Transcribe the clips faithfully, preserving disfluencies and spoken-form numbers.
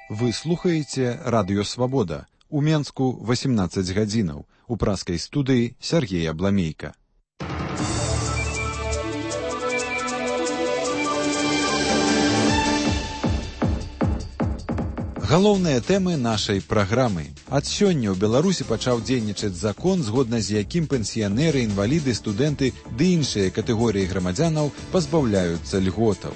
Вы слухаеце радыё Свабода. У Менску восемнадцаць гадзінаў. У праскай студыі Сергей Абламейка. Галоўныя тэмы нашай праграмы. Ад сёння ў Беларусі пачаў дзейнічаць закон, згодна з якім пенсіянеры, інваліды, студэнты ды іншыя катэгорыі грамадзянаў пазбаўляюцца льготаў.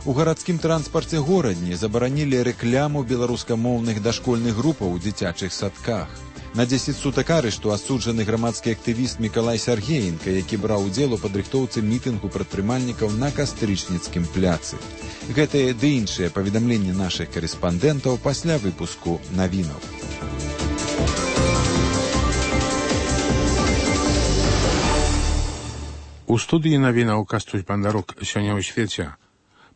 У гарадскім транспарце горадні забаранілі рэкляму беларускамоўных дашкольных групаў у дзіцячых садках. На дзесяць сутак арышту асуджаны грамадскі актывіст Мікалай Сяргеенка, які браў удзел у падрыхтоўцы мітынгу прадпрымальнікаў на Кастрычніцкім пляцы. Гэтыя ды іншыя паведамленні нашых карэспандэнтаў пасля выпуску навінаў. У студыі навінаў Кастусь Бандарук. Сёння ў свеце.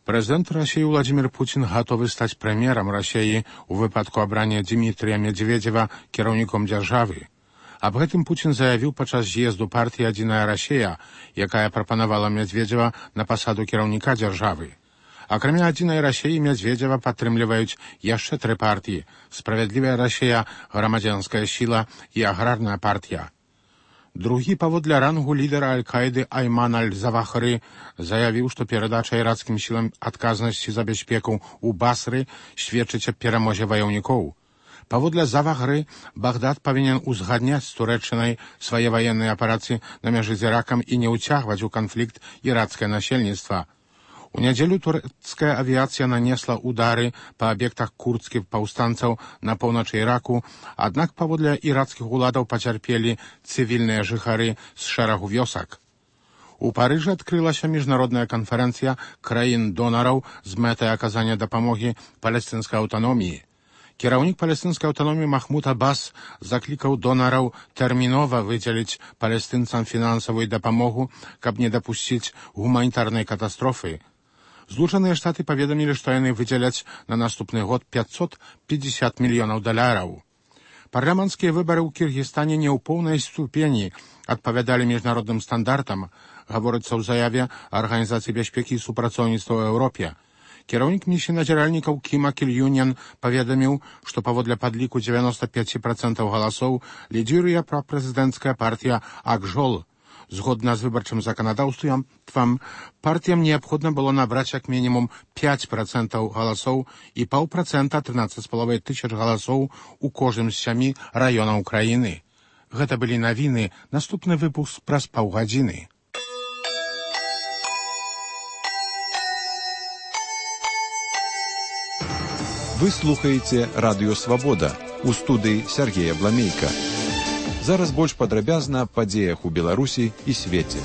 Прэзідэнт Расіі Владзімір Пуцін гатовы стаць прэм'ерам Расіі ў выпадку абрання Дзімітрыя Медведзева кіраўніком дзяржавы. Аб гэтым Пуцін заявіў падчас з'езду партыі «Адзіная Расія», якая прапанавала Медведзева на пасаду кіраўніка дзяржавы. Акрамя «Адзінай Расіі» Медведзева падтрымліваюць яшчэ тры партыі: «Справядлівая Расія», «Грамадзянская сіла» і «Аграрная партія». Другі паводле рангу лідара Аль-Каіды Айман Аль-Завахры заявіў, што перадача іракскім сілам адказнасці за бяспеку ў Басры сведчыць аб перамозе ваяўнікоў. Паводле Завахры, Багдад павінен узгадняць з Турэччынай свае ваенныя аперацыі на мяжы з Іракам і не ўцягваць у канфлікт іракскае насельніцтва. У нядзелю турэцкая авіяцыя нанесла удары па аб'ектах курдскіх паўстанцаў на поўначы Іраку, аднак паводле іракскіх уладаў пацярпелі цывільныя жыхары з шэрагу вёсак. У Парыжы адкрылася міжнародная канферэнцыя краін-донараў з мэтай аказання дапамогі палестынскай аўтаноміі. Кіраўнік палестынскай аўтаноміі Махмуд Аббас заклікаў донараў тэрмінова выдзеліць палестынцам фінансавую дапамогу, каб не дапусціць гуманітарнай катастрофы. Злучаныя Штаты паведамілі, што яны выдзяляць на наступны год пятьсот пятьдесят мільёнаў даляраў. Парламенцкія выбары ў Кіргізстане не ў поўнай ступені адпавядалі міжнародным стандартам, гаворыцца ў заяве Арганізацыі бяспекі і супрацоўніцтва ў Еўропе. Кіраўнік місіі назіральнікаў Кім Акель-Юньян паведаміў, што паводле падліку дзевяноста пяць працэнтаў галасоў лідзіруе прапрэзідэнцкая партыя Ак-Жол. Згодна з выбарчым заканадаўствам, партіям неабходна было набраць як мінімум пяць працэнтаў галасоў і паўпрацэнта трынаццаць з паловай тысяч галасоў у кожным з сямі раёнаў краіны. Гэта былі навіны, наступны выпуск праз паўгадзіны. Вы слухаеце радыё Свабода. У студыі Сергей Абламейка. Зараз больш падрабязна аб падзеях у Беларусі і свеце.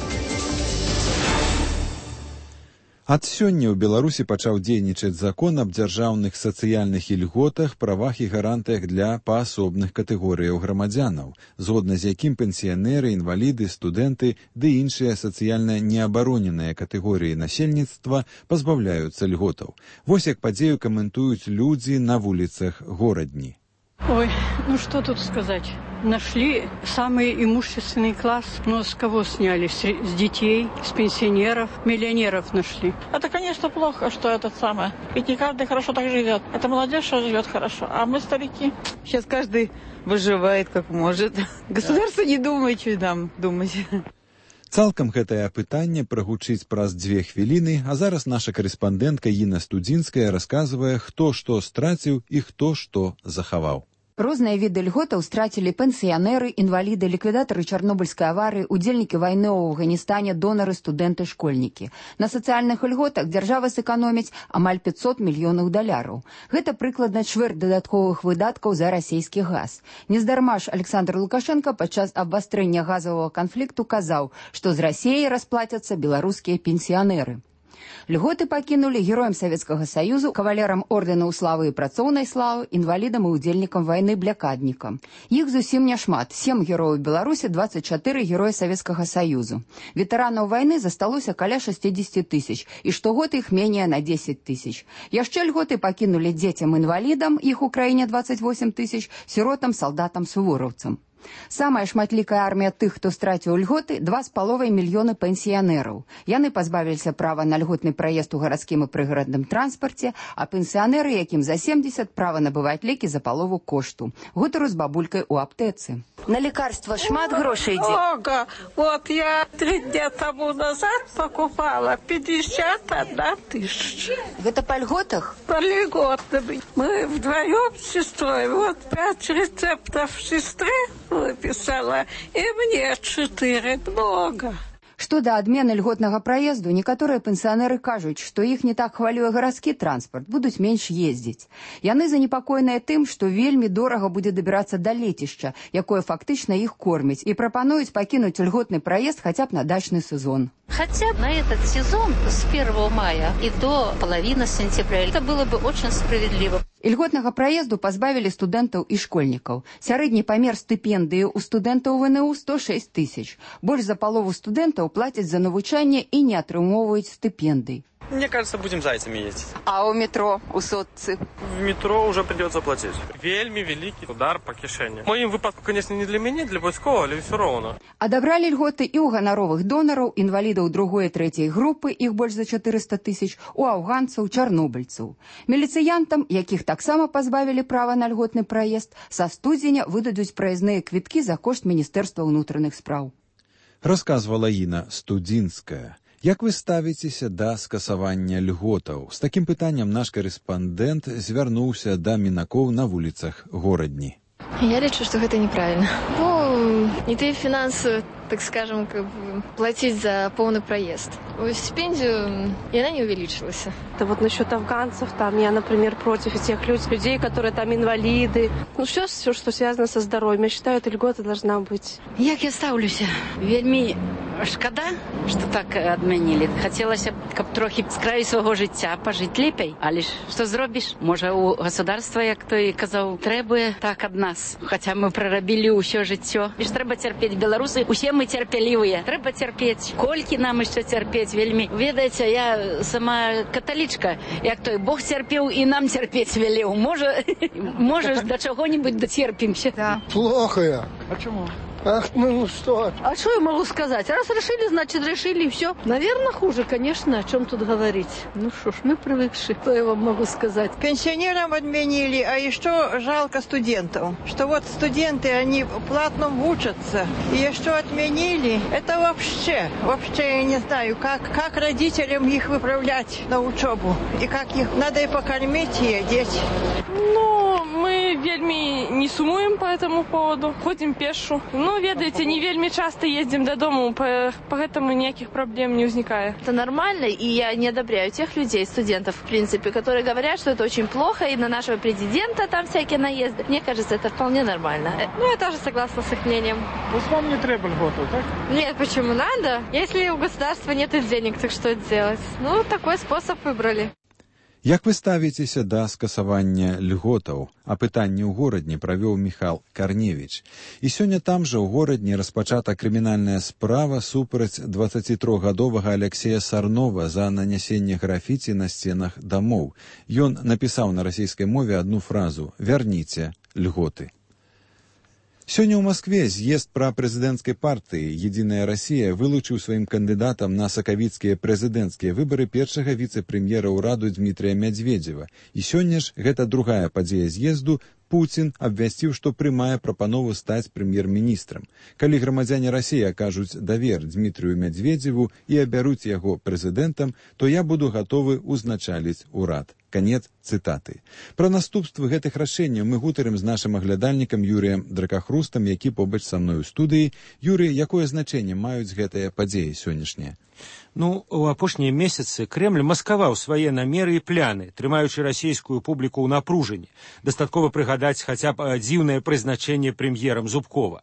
Ад сёння ў Беларусі пачаў дзейнічаць закон аб дзяржаўных сацыяльных ільготах, правах і гарантыях для паасобных катэгорыяў грамадзянаў, згодна з якім пенсіянеры, інваліды, студэнты ды іншыя сацыяльна неабароненыя катэгорыі насельніцтва пазбаўляюцца льготаў. Вось як падзею каментуюць людзі на вуліцах горадні. Ой, ну что тут сказать? Нашли самый имущественный класс, но с кого сняли? С, с детей, с пенсионеров, миллионеров нашли. Это, конечно, плохо, что это самое. Ведь не каждый хорошо так живет. Это молодежь, что живет хорошо, а мы старики. Сейчас каждый выживает как может. Государство не думает, что нам думать. Цалкам гэтае пытанне прагучыць праз дзве хвіліны, а зараз наша карэспандэнтка Інна Студзінская расказвае, хто што страціў і хто што захаваў. Розныя віды льготаў страцілі пенсіянеры, інваліды, ліквідатары Чарнобыльскай аварыі, удзельнікі вайны ў Афганістане, донары, студэнты, школьнікі. На сацыяльных льготах дзяржава сэканоміць амаль пятьсот мільёнаў даляраў. Гэта прыкладна чвэрць дадатковых выдаткаў за расійскі газ. Нездарма ж Александр Лукашенко падчас абвастрэння газавага канфлікту казаў, што з Расіяй расплацяцца беларускія пенсіянеры. Льготы пакінулі героям Савецкага Саюзу, кавалерам ордэнаў славы і працоўнай славы, інвалідам і удзельнікам вайны блякаднікам. Іх зусім няшмат. Сем герояў Беларусі, двадцать чатыры героя Савецкага Саюзу. Ветэранаў вайны засталося каля шестьдесят тысяч, і штогод іх менее на десять тысяч. Яшчэ льготы пакінулі дзецям-інвалідам, іх у краіне двадцать восемь тысяч, сіротам, салдатам, сувораўцам. Самая шматлікая армія тых, хто страціў льготы, два з паловай мільёны пенсіянераў. Яны пазбавіліся права на льготны праезд у гарадскім і прыгарадным транспарце, а пенсіянеры, якім за семьдесят, права набываць лекі за палову кошту. Гутару з бабулькай у аптэцы. На лекарства шмат грошай ідзе? Много. Вот я три дня тому назад покупала пятьдесят одна тысяча. Гэта па льготах? По льготам. Мы вдвоем с сестрой. Вот пять рецептов сестры выписала, и мне четыре. Много. Што да адмены льготнага праезду, некаторыя пенсіянеры кажуць, што іх не так хвалюе гарадскі транспарт, будуць менш ездзіць. Яны занепакоеныя тым, што вельмі дорага будзе дабірацца да лецішча, якое фактычна іх корміць, і прапануюць пакінуць льготны праезд хаця б на дачны сезон. Хотя на этот сезон с первого мая и до половины сентября это было бы очень справедливо. Льготнага праезду пазбавілі студэнтаў і школьнікаў. Сярэдні памер стыпендыі ў студэнтаў ВНУ сто шесть тысяч. Больш за палову студэнтаў плацяць за навучанне і не атрымоўваюць стыпендый. Мне кажется, будем зайцами ездить. А у метро, у сотцы? В метро уже придется платить. Вельми великий удар по кишені. В моем выпадку, конечно, не для меня, для войскового, але все равно. Адабралі льготы і ў ганаровых донараў, інвалідаў другой і трэцяй групы, іх больш за чатырыста тысяч, у афганцаў, чарнобыльцаў. Міліцыянтам, якіх таксама пазбавілі права на льготны праезд, са студзеня выдадуць праязныя квіткі за кошт Міністэрства ўнутраных спраў. Расказвала Інна Студзінская. Як вы ставіцеся да скасавання льготаў? З такім пытаннем наш корэспандэнт звярнуўся да мінакоў на вуліцах горадні. Я лечу, что это неправильно. Ну, не ты финансово, так скажем, как бы, платить за полный проезд. Стипендию, и она не увеличилась. Это вот насчет афганцев, там, я, например, против тех людей, которые там инвалиды. Ну, все, все, что связано со здоровьем. Я считаю, эта льгота должна быть. Як я ставлюся? Вельми шкода, что так адмянілі. Хотелося б, каб трохи з краю свого життя пожити лепей. Але ж, що зробиш? Може, у государства, як той казав, требує так ад нас. Хоча ми прорабілі ўсё життя. І ж треба терпіти. Білоруси, усе ми терпеливі. Треба терпіти. Колькі нам ще терпіти? Вельми. Ведаєте, я сама католичка. Як той Бог терпів і нам терпіти велів. Може, може до чого-нибудь дотерпимся. Да. Плохо я. А чему? Ах, ну что? А что я могу сказать? Раз решили, значит решили, и все. Наверное, хуже, конечно, о чем тут говорить. Ну что ж, мы привыкшие, что я вам могу сказать. Пенсионерам отменили, а еще жалко студентов. Что вот студенты, они платно учатся, и еще отменили. Это вообще, вообще я не знаю, как, как родителям их выправлять на учебу. И как их надо и покормить, и одеть. Ну, мы вельми не сумуем по этому поводу, ходим пешу. Ну, ведаете, не вельми часто ездим до дома, поэтому никаких проблем не возникает. Это нормально, и я не одобряю тех людей, студентов, в принципе, которые говорят, что это очень плохо, и на нашего президента там всякие наезды. Мне кажется, это вполне нормально. Ну, я тоже согласна с их мнением. Вот вам не треба льготу, так? Нет, почему надо? Если у государства нет денег, так что делать? Ну, такой способ выбрали. Як вы ставіцеся да скасавання льготаў? А пытанне ў горадні правёў Міхал Карневіч. І сёння там жа ў горадні распачата крымінальная справа супраць дваццацітрохгадовага Алексея Сарнова за нанясенне графіці на сценах дамоў. Ён напісаў на расійскай мове адну фразу «Вярніце льготы». Сёння ў Маскве з'езд прапрэзідэнцкай партыі «Единая Россия» вылучыў сваім кандыдатам на сакавіцкія прэзідэнцкія выбары першага віцэ-прэм'ера ўраду Дмітрия Мядзведзева. І сёння ж гэта другая падзея з'езду. Путин абвясціў, што прымае прапанову стаць прэм'ер-міністрам. Калі грамадзяне Расіі акажуць давер Дмітрию Мядзведзеву і абяруць яго прэзідэнтам, то я буду гатовы ўзначаліць урад. Канец цытаты. Пра наступствы гэтых рашэнняў мы гутарым з нашым аглядальнікам Юрыем Дракахрустам, які побач са мной у студыі. Юрый, якое значэнне маюць гэтыя падзеі сённяшнія? Ну, у апошнія месяцы Кремль маскаваў свае намеры і пляны, трымаючы расійскую публіку ў напружанні. Дастаткова прыгадаць хаця б дзіўнае прызначэнне прэм'ерам Зубкова.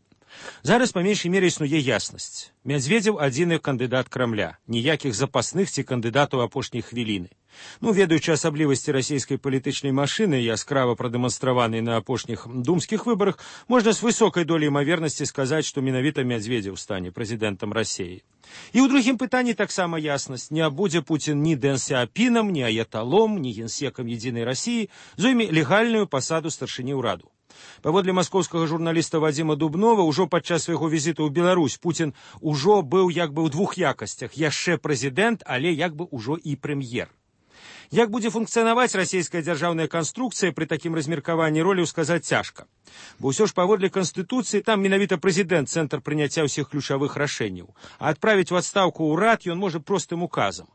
Зараз па меншай мере існуе яснасць. Мядзведзеў адзіны кандыдат Крамля, ніякіх запасных ці кандыдатаў апошняй хвіліны. Ну, ведаючы асаблівасці расійскай палітычнай машыны, яскрава прадэманстраванай на апошніх думскіх выбарах, можна з высокай доляй імавернасці сказаць, што менавіта Мядзведзеў стане прэзідэнтам Расіі. І ў другім пытанні таксама яснасць. Не будзе Пуцін ні Дэн Сяапінам, ні аяталом, ні генсекам Единой России, зойме легальную пасаду старшыні ўраду. Паводле маскоўскага журналіста Вадзіма Дубнова, ужо падчас свайго візіту ў Беларусь Пуцін ужо быў як бы ў двух якасцях. Яшчэ прэзідэнт, але як бы ўжо і прэм'ер. Як будзе функцыянаваць расійская дзяржаўная канструкцыя пры такім размеркаванні роляў сказаць цяжка. Бо ўсё ж паводле Канстытуцыі там менавіта прэзідэнт цэнтр прыняцця ўсіх ключавых рашэнняў, а адправіць у адстаўку ўрад ён можа простым указам.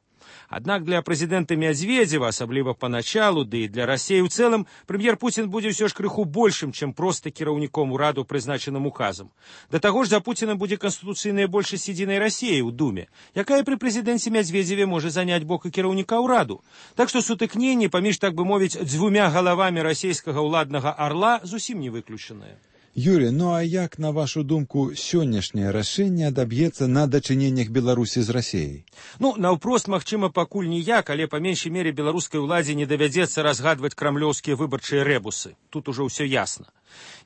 Аднак для прэзідэнта Мядзведзева, асабліва паначалу, ды і для Расіі ў цэлым, прэм'ер Пуцін будзе ўсё ж крыху большым, чым проста кіраўніком ураду, прызначаным указам. Да таго ж за Пуціным будзе канстытуцыйная большасць едзінай Расіі ў Думе, якая пры прэзідэнце Мядзведзеве можа заняць бок і кіраўніка ўраду. Так што сутыкненні паміж, так бы мовіць, дзвюмя галавамі расійскага ўладнага арла зусім не выключаныя. Юрий, ну а як, на вашу думку, сённяшняе рашэнне адаб'ецца на дачыненнях Беларусі з Расіяй? Ну, наўпрост, магчыма, пакуль ніяк, але па меншай мере беларускай уладзе не давядзецца разгадваць крамлёўскія выбарчыя рэбусы. Тут ужо ўсё ясна.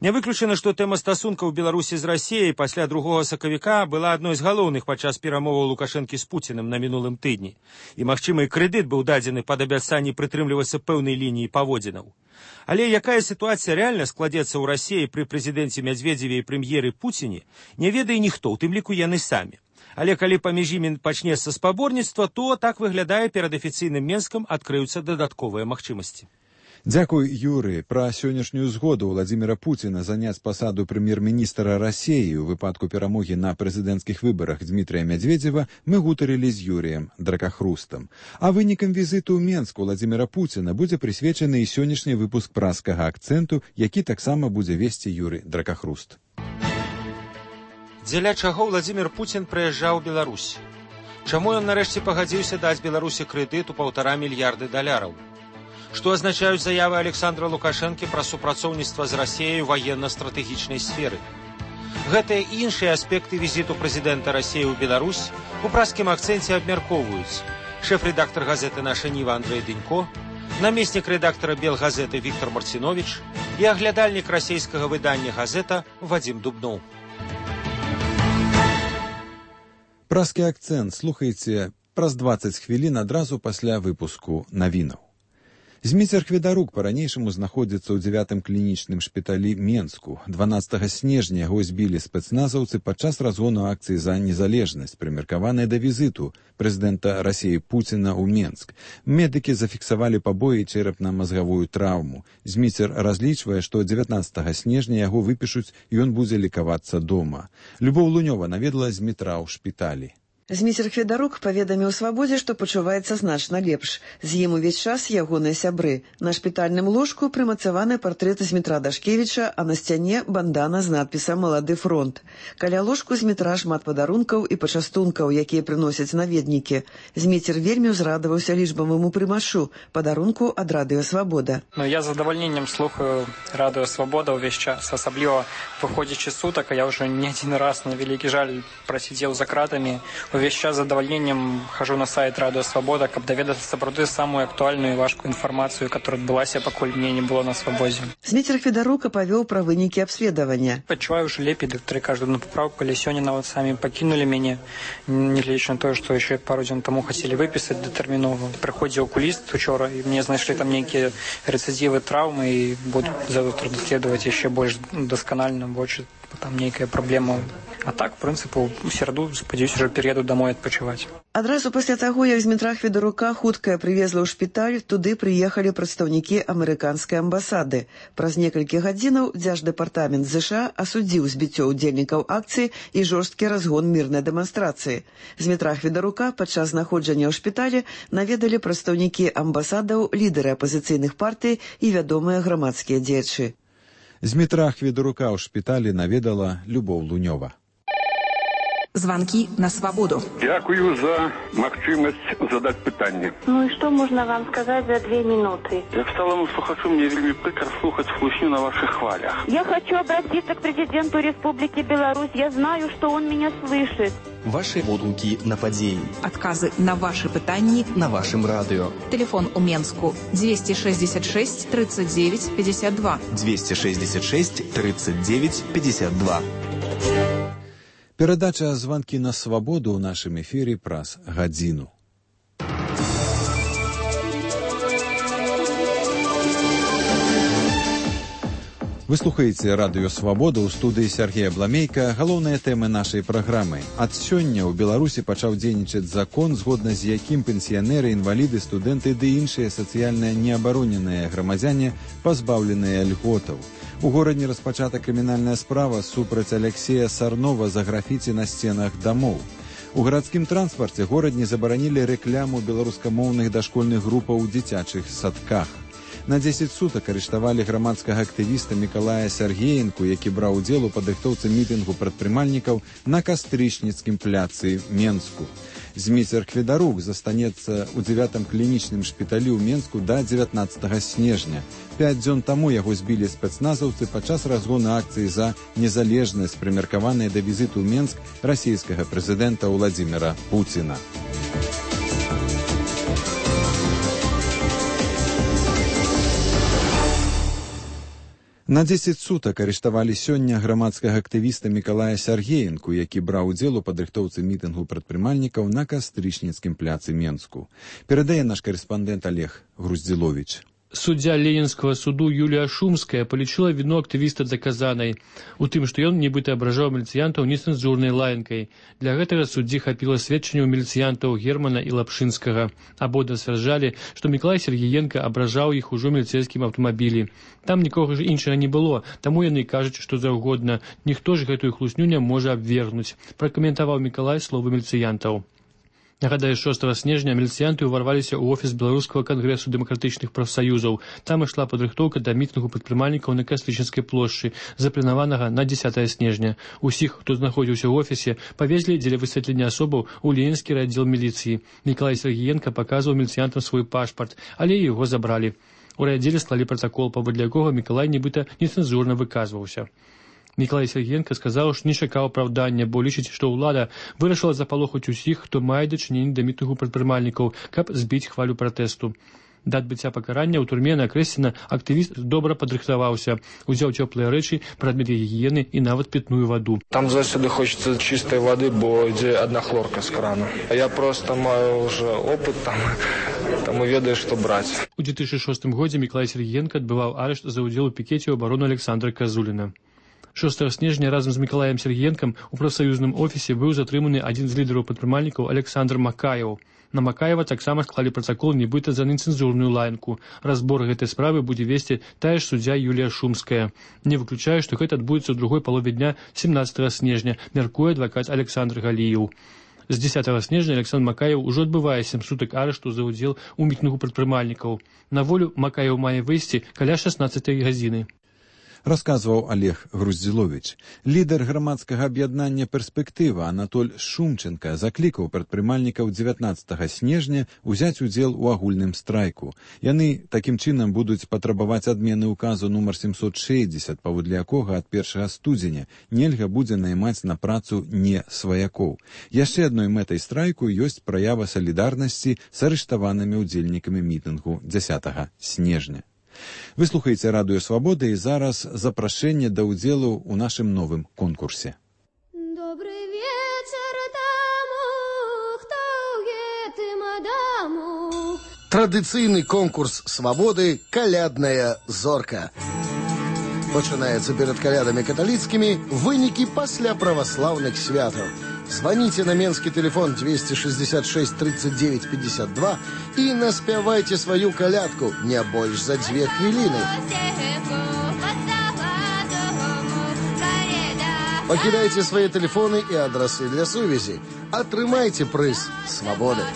Не выключана, што тэма стасункаў Беларусі з Расіяй пасля другога сакавіка была адной з галоўных падчас перамоваў Лукашэнкі з Пуціным на мінулым тыдні. І, магчыма, і крэдыт быў дадзены пад абяцанне прытрымлівацца пэўнай лініі паводзінаў. Але якая сітуацыя рэальна складзецца ў Расіі пры прэзідэнце Мядзведзеве і прэм'еры Пуціне, не ведае ніхто, у тым ліку яны самі. Але калі паміж імі пачнецца спаборніцтва, то, так выглядае, перад афіцыйным Менскам адкрыюцца дадатковыя магчымасці. Дзякуй, Юрый. Пра сённяшнюю згоду Владзіміра Пуціна заняць пасаду прэм'ер-міністра Расіі ў выпадку перамогі на прэзідэнцкіх выбарах Дмітрыя Мядзведзева мы гутарылі з Юрыем Дракахрустам. А вынікам візіту ў Менску Владзіміра Пуціна будзе прысвечаны і сённяшні выпуск праскага акцэнту, які таксама будзе весці Юрый Дракахруст. Дзеля чаго Владзімір Пуцін прыязджаў у Беларусь? Чаму ён нарэшце пагадзіўся даць Беларусі крэдыт у паўтара мільярды даляраў? Што азначаюць заявы Александра Лукашэнкі пра супрацоўніцтва з Расіяй у ваенна-стратэгічнай сферы? Гэтыя і іншыя аспекты візіту прэзідэнта Расіі ў Беларусь у праскім акцэнце абмяркоўваюць шэф-рэдактар газеты «Наша Ніва» Андрэй Дынько, намеснік рэдактара Белгазеты Віктор Марціновіч і аглядальнік расійскага выдання газета Вадзім Дубноў. Праскі акцэнт слухайце праз дваццаць хвілін адразу пасля выпуску навінаў. Зміцер Хведарук па-ранейшаму знаходзіцца ў дзявятым клінічным шпіталі Менску. дванаццатага снежня яго збілі спецназаўцы падчас разгону акцыі за незалежнасць, прымеркаванай да візіту прэзідэнта Расіі Пуціна ў Менск. Медыкі зафіксавалі пабоі і чэрапна-мазгавую траўму. Зміцер разлічвае, што дзевятнаццатага снежня яго выпішуць і ён будзе лікавацца дома. Любоў Лунёва наведала Змітра ў шпіталі. Зміцер Хведарук паведаміў Свабодзе, што пачуваецца значна лепш. З ім увесь час ягоныя сябры. На шпітальным ложку прымацаваны партрэт Змітра Дашкевіча, а на сцяне бандана з надпісам «Малады фронт». Каля ложку Змітра шмат падарункаў і пачастункаў, якія прыносяць наведнікі. Зміцер вельмі ўзрадаваўся лічбаваму прымашу, падарунку ад Радыё Свабода. Ну, я з задавальненнем слухаю Радыё Свабода ўвесь час, асабліва выходзячы сутак, а я ўжо не адзін раз, на вялікі жаль, прасідзеў за кратамі. Увесь час з задавальненнем хожу на сайт Радыё Свабода, каб даведацца сапраўды самую актуальную і важкую інфармацыю, которая адбылася, пакуль мне не было на свабодзе. Зміцер Хведарука павёў пра вынікі абследавання. Пачуваю ўжо лепей, дактары кажуць на папраўку, але сёння нават самі пакінулі мяне, нягледзячы на тое, што яшчэ пару дзён таму хацелі выпісаць датэрмінова. Прыходзіў акуліст учора, і мне знайшлі там нейкія рэцыдзівы траўмы і буду заўтра даследаваць яшчэ больш дасканальна, больш там нейкая праблема. А так, в прынцыпу, у сераду, спадзяюся, ўжо пераеду дамой адпачываць. Адразу пасля таго, як Змітра Хведарука хуткая прывезла ў шпіталь, туды прыехалі прадстаўнікі амерыканскай амбасады. Праз некалькі гадзінаў Дзярждэпартамент ЗША асудзіў збіццё ўдзельнікаў акцыі і жорсткі разгон мірнай дэманстрацыі. Змітра Хведарука падчас знаходжання ў шпіталі наведалі прадстаўнікі амбасадаў, лідары апазіцыйных партый і вядомыя грамадскія дзеячы. Змітра Хведарука ў шпіталі наведала Любоў Лунёва. Звонки на свободу. Дякую за магчымасць задаць пытанне. Ну и что можно вам сказать за две минуты? Як сталому слухачу, мне вельмі прыкра слухаць хлусню на ваших хвалях. Я хочу обратиться к президенту Республики Беларусь. Я знаю, что он меня слышит. Ваши водгукі на падзеі. Отказы на ваши пытанні на вашем радио. Телефон у Менску двести шестьдесят шесть тридцать девять пятьдесят два. двести шестьдесят шесть тридцать девять пятьдесят два. Перадача «Звонки на свободу» ў нашым эфіры праз гадзіну. Вы слухаеце радыё Свабода, ў студыі Сергея Бламейка. Галоўныя тэмы нашай праграмы. Ад сёння ў Беларусі пачаў дзейнічаць закон, згодна з якім пенсіянеры, інваліды, студэнты ды іншыя сацыяльна неабароненыя грамадзяне пазбаўленыя льготаў. У горадзе распачата крымінальная справа супраць Алексея Сарнова за графіці на сценах дамоў. У гарадскім транспарце горадні забаранілі рэкляму беларускамоўных дашкольных групаў у дзіцячых садках. На дзесяць сутак арыштавалі грамадскага актывіста Мікалая Сяргеенку, які браў удзел у падрыхтоўцы мітынгу прадпрымальнікаў на Кастрычніцкім пляцы Менску. Зміцер Кведарук застанецца ў дзевятым клінічным шпіталі ў Менску да дзевятнаццатага снежня. Пяць дзён таму яго збілі спецназаўцы падчас разгону акцыі за незалежнасць, прымеркаванай да візіту ў Менск расійскага прэзідэнта Владзіміра Пуціна. На дзесяць сутак арыштавалі сёння грамадскага актывіста Мікалая Сяргеенку, які браў удзел у падрыхтоўцы мітынгу прадпрымальнікаў на Кастрычніцкім пляцы Менску. Перадае наш карэспандэнт Олег Груздзіловіч. Суддзя Ленінскага суду Юлія Шумская палічыла віну актывіста даказанай у тым, што ён нібыта абражаў міліцыянтаў нецэнзурнай лаянкай. Для гэтага суддзі хапіла сведчанняў міліцыянтаў Германа і Лапшынскага. Абодва сцвярджалі, што Мікалай Сергіенка абражаў іх ужо міліцэйскім аўтамабілі. Там нікога ж іншага не было, таму яны кажуць, што заўгодна. Ніхто ж гэтую хлусню не можа абвергнуць, пракаментаваў Мікалай словы міліцыянтаў. Нагадаю, шостага снежня міліцыянты ўварваліся ў офіс Беларускага кангрэсу дэмакратычных прафсаюзаў. Там ішла падрыхтоўка да мітынгу прадпрымальнікаў на Кастрычніцкай плошчы, запланаванага на дзесятае снежня. Усіх, хто знаходзіўся ў офісе, павезлі дзеля высвятлення асобаў у Ленінскі аддзел міліцыі. Мікалай Сергіенка паказваў міліцыянтам свой пашпарт, але яго забралі. У райаддзеле склалі пратакол, паводле якога Мікалай нібыта нецэнзурна выказваўся. Мікалай Сергіенка сказаў, што не чакаў апраўдання, бо лічыць, што ўлада вырашыла запалохаць усіх, хто мае дачыненне да мітынгу прадпрымальнікаў, каб збіць хвалю пратэсту. Да адбыцця пакарання ў турме на Крэсціна актывіст добра падрыхтаваўся, узяў цёплыя рэчы, прадметы гігіены і нават пітную ваду. Там заўсёды хочацца чыстай вады, бо ідзе адна хлорка з крана. А я проста маю ўжо опыт там, таму ведаю, што браць. У две тысячи шостым годзе Мікалай Сергіенка адбываў арышт за ўдзел у пікеце ў абарону Александра Казуліна. шостага снежня разам з Мікалаем Сергіенкам у прафсаюзным офісе быў затрыманы адзін з лідараў прадпрымальнікаў Александр Макаеў. На Макаева таксама склалі пратакол нібыта за нецэнзурную лаянку. Разбор гэтай справы будзе весці тая ж суддзя Юлія Шумская. Не выключае, што гэта адбудзецца ў другой палове дня семнаццатага снежня, мяркуе адвакат Александр Галіеў. З дзесятага снежня Александр Макаеў ужо адбывае сем сутак арышту за ўдзел у мітынгу прадпрымальнікаў. На волю Макаеў мае выйсці каля шаснаццатай гадзіны. Расказваў Олег Груздзіловіч. Лідар грамадскага аб'яднання «Перспектыва» Анатоль Шумченка заклікаў прадпрымальнікаў дзевятнаццатага снежня ўзяць удзел у агульным страйку. Яны такім чынам будуць патрабаваць адмены ўказу нумар семьсот шэсцьдзесят, паводле якога ад першага студзеня нельга будзе наймаць на працу не сваякоў. Яшчэ адной мэтай страйку ёсць праява салідарнасці з арыштаванымі ўдзельнікамі мітынгу дзесятага снежня. Вы слухаеце радыё Свабода і зараз запрашэнне да ўдзелу ў нашым новым конкурсе. Добры вечар таму, хто ў гэтым адаму. Традыцыйны конкурс Свабоды «Калядная зорка». Пачынаецца перад калядамі каталіцкімі, вынікі пасля праваслаўных святаў. Звоните на менский телефон двести шестьдесят шесть тридцать девять пятьдесят два и наспявайте свою колядку не больше за две хвилины. Покидайте свои телефоны и адресы для сувязі. Атрымайте прыз свободы.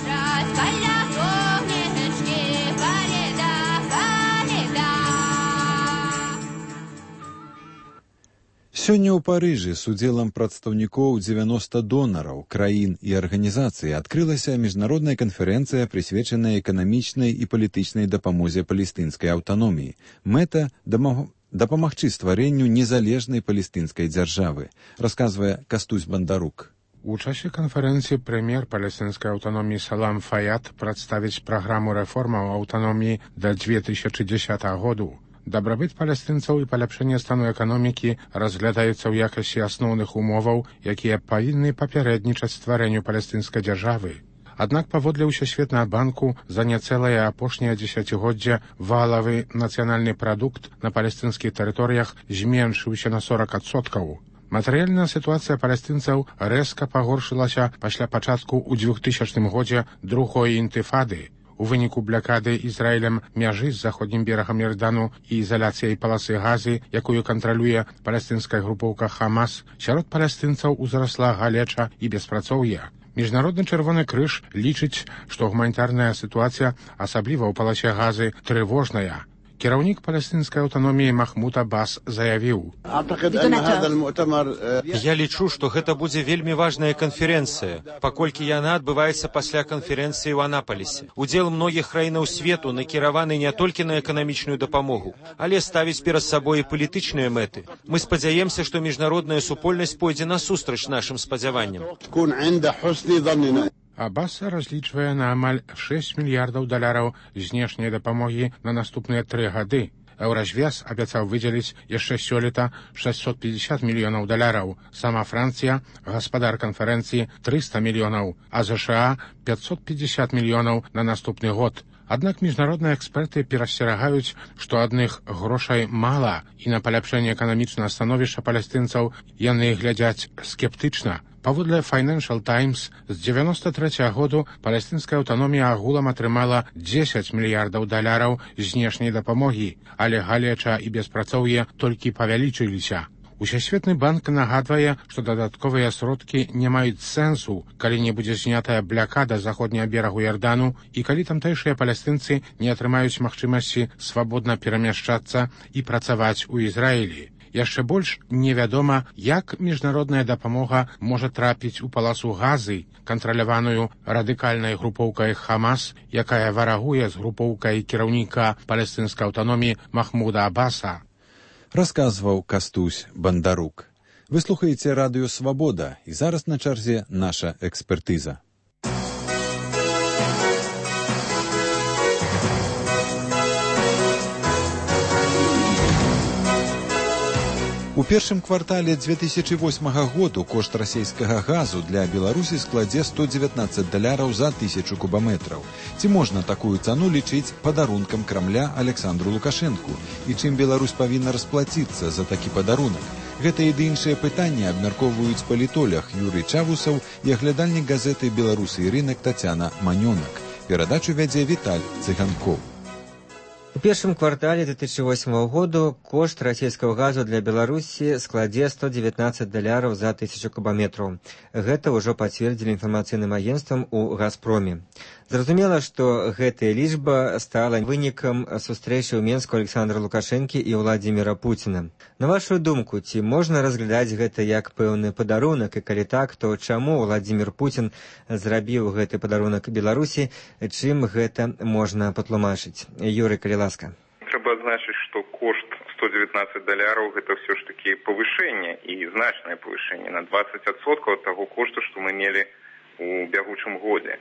Сёння ў Парыжы з удзелам прадстаўнікоў дзевяноста донараў, краін і арганізацый адкрылася міжнародная канферэнцыя, прысвечаная эканамічнай і палітычнай дапамозе палестынскай аўтаноміі. Мэта дапамагчы стварэнню незалежнай палестынскай дзяржавы, расказвае Кастусь Бандарук. У часе канферэнцыі прэм'ер палестынскай аўтаноміі Салам Фаяд прадставіць праграму рэформаў аўтаноміі да две тысячи дзесятага году. Дабрабыт палестынцаў і паляпшэнне стану эканомікі разглядаюцца ў якасці асноўных умоваў, якія павінны папярэднічаць стварэнню палестынскай дзяржавы. Аднак паводле ўсесветнага банку за няцэлае апошняе дзесяцігоддзе валавы нацыянальны прадукт на палестынскіх тэрыторыях зменшыўся на сорок адсоткаў. Матэрыяльная сітуацыя палестынцаў рэзка пагоршылася пасля пачатку ў двухтысячным годзе другой інтыфады. У выніку блакады Ізраілем мяжы з заходнім берагам Ярдану і ізаляцыяй паласы Газы, якую кантралюе палестынская групоўка Хамас, сярод палестынцаў узрасла галеча і беспрацоўе. Міжнародны чырвоны крыж лічыць, што гуманітарная сітуацыя, асабліва ў паласе Газы, трывожная. Кіраўнік палестынскай аўтаноміі Махмуд Аббас заявіў: «Я лічу, што гэта будзе вельмі важная канферэнцыя, паколькі яна адбываецца пасля канферэнцыі ў Анапалісе. Удзел многіх краінаў свету накіраваны не толькі на эканамічную дапамогу, але ставіць перад сабой і палітычныя мэты. Мы спадзяемся, што міжнародная супольнасць пойдзе насустрач нашым спадзяванням». Аббас разлічвае на амаль шэсць мільярдаў даляраў знешняй дапамогі на наступныя тры гады. Еўразвяз абяцаў выдзеліць яшчэ сёлета шэсцьсот пятьдесят мільёнаў даляраў. Сама Францыя, гаспадар канферэнцыі, трыста мільёнаў, а ЗША пятьсот пятьдесят мільёнаў на наступны год. Аднак міжнародныя эксперты перасцерагаюць, што адных грошай мала, і на паляпшэнне эканамічнага становішча палестынцаў яны глядзяць скептычна. Паводле Financial Times, з дзевяноста трэцяга году палестынская аўтаномія агулам атрымала дзесяць мільярдаў даляраў знешняй дапамогі, але галеча і беспрацоўе толькі павялічыліся. Усесветны банк нагадвае, што дадатковыя сродкі не маюць сэнсу, калі не будзе знятая блакада заходняга берагу Ярдану і калі тамтэйшыя палестынцы не атрымаюць магчымасці свабодна перамяшчацца і працаваць у Ізраілі. Яшчэ больш невядома, як міжнародная дапамога можа трапіць у паласу Газы, кантраляваную радыкальнай групоўкай Хамас, якая варагуе з групоўкай кіраўніка палестынскай аўтаноміі Махмуда Аббаса. Расказваў Кастусь Бандарук. Вы слухаеце радыё «Свабода», і зараз на чарзе наша экспертыза. У першым квартале две тысячи восьмага году кошт расійскага газу для Беларусі складзе сто дзевятнаццаць даляраў за тысячу кубаметраў. Ці можна такую цану лічыць падарункам Крамля Александру Лукашэнку? І чым Беларусь павінна расплаціцца за такі падарунак? Гэта і іншыя пытанні абмяркоўваюць палітолог Юрый Чавусаў і аглядальнік газеты «Беларусы і рынак» Тацяна Манёнак. Перадачу вядзе Віталь Цыганкоў. У першым квартале две тысячи восьмого году кошт расійскага газу для Беларусі складзе сто дзевятнаццаць даляраў за тысячу кубаметраў. Гэта ўжо пацвердзілі інфармацыйным агенцтвам у Газпроме. Зразумела, што гэтая лічба стала вынікам сустрэчы ў Менску Александра Лукашэнкі і Владзіміра Пуціна. На вашу думку, ці можна разглядаць гэта як пэўны падарунак, і калі так, то чаму Владзімір Пуцін зрабіў гэты падарунак Беларусі, чым гэта можна патлумачыць? Юрый, калі ласка. Трэба адзначыць, што кошт сто дзевятнаццаць даляраў гэта ўсё ж такі павышэнне і значнае павышэнне на двадцать адсоткаў ад таго кошту, што мы мелі у бягучым годзе.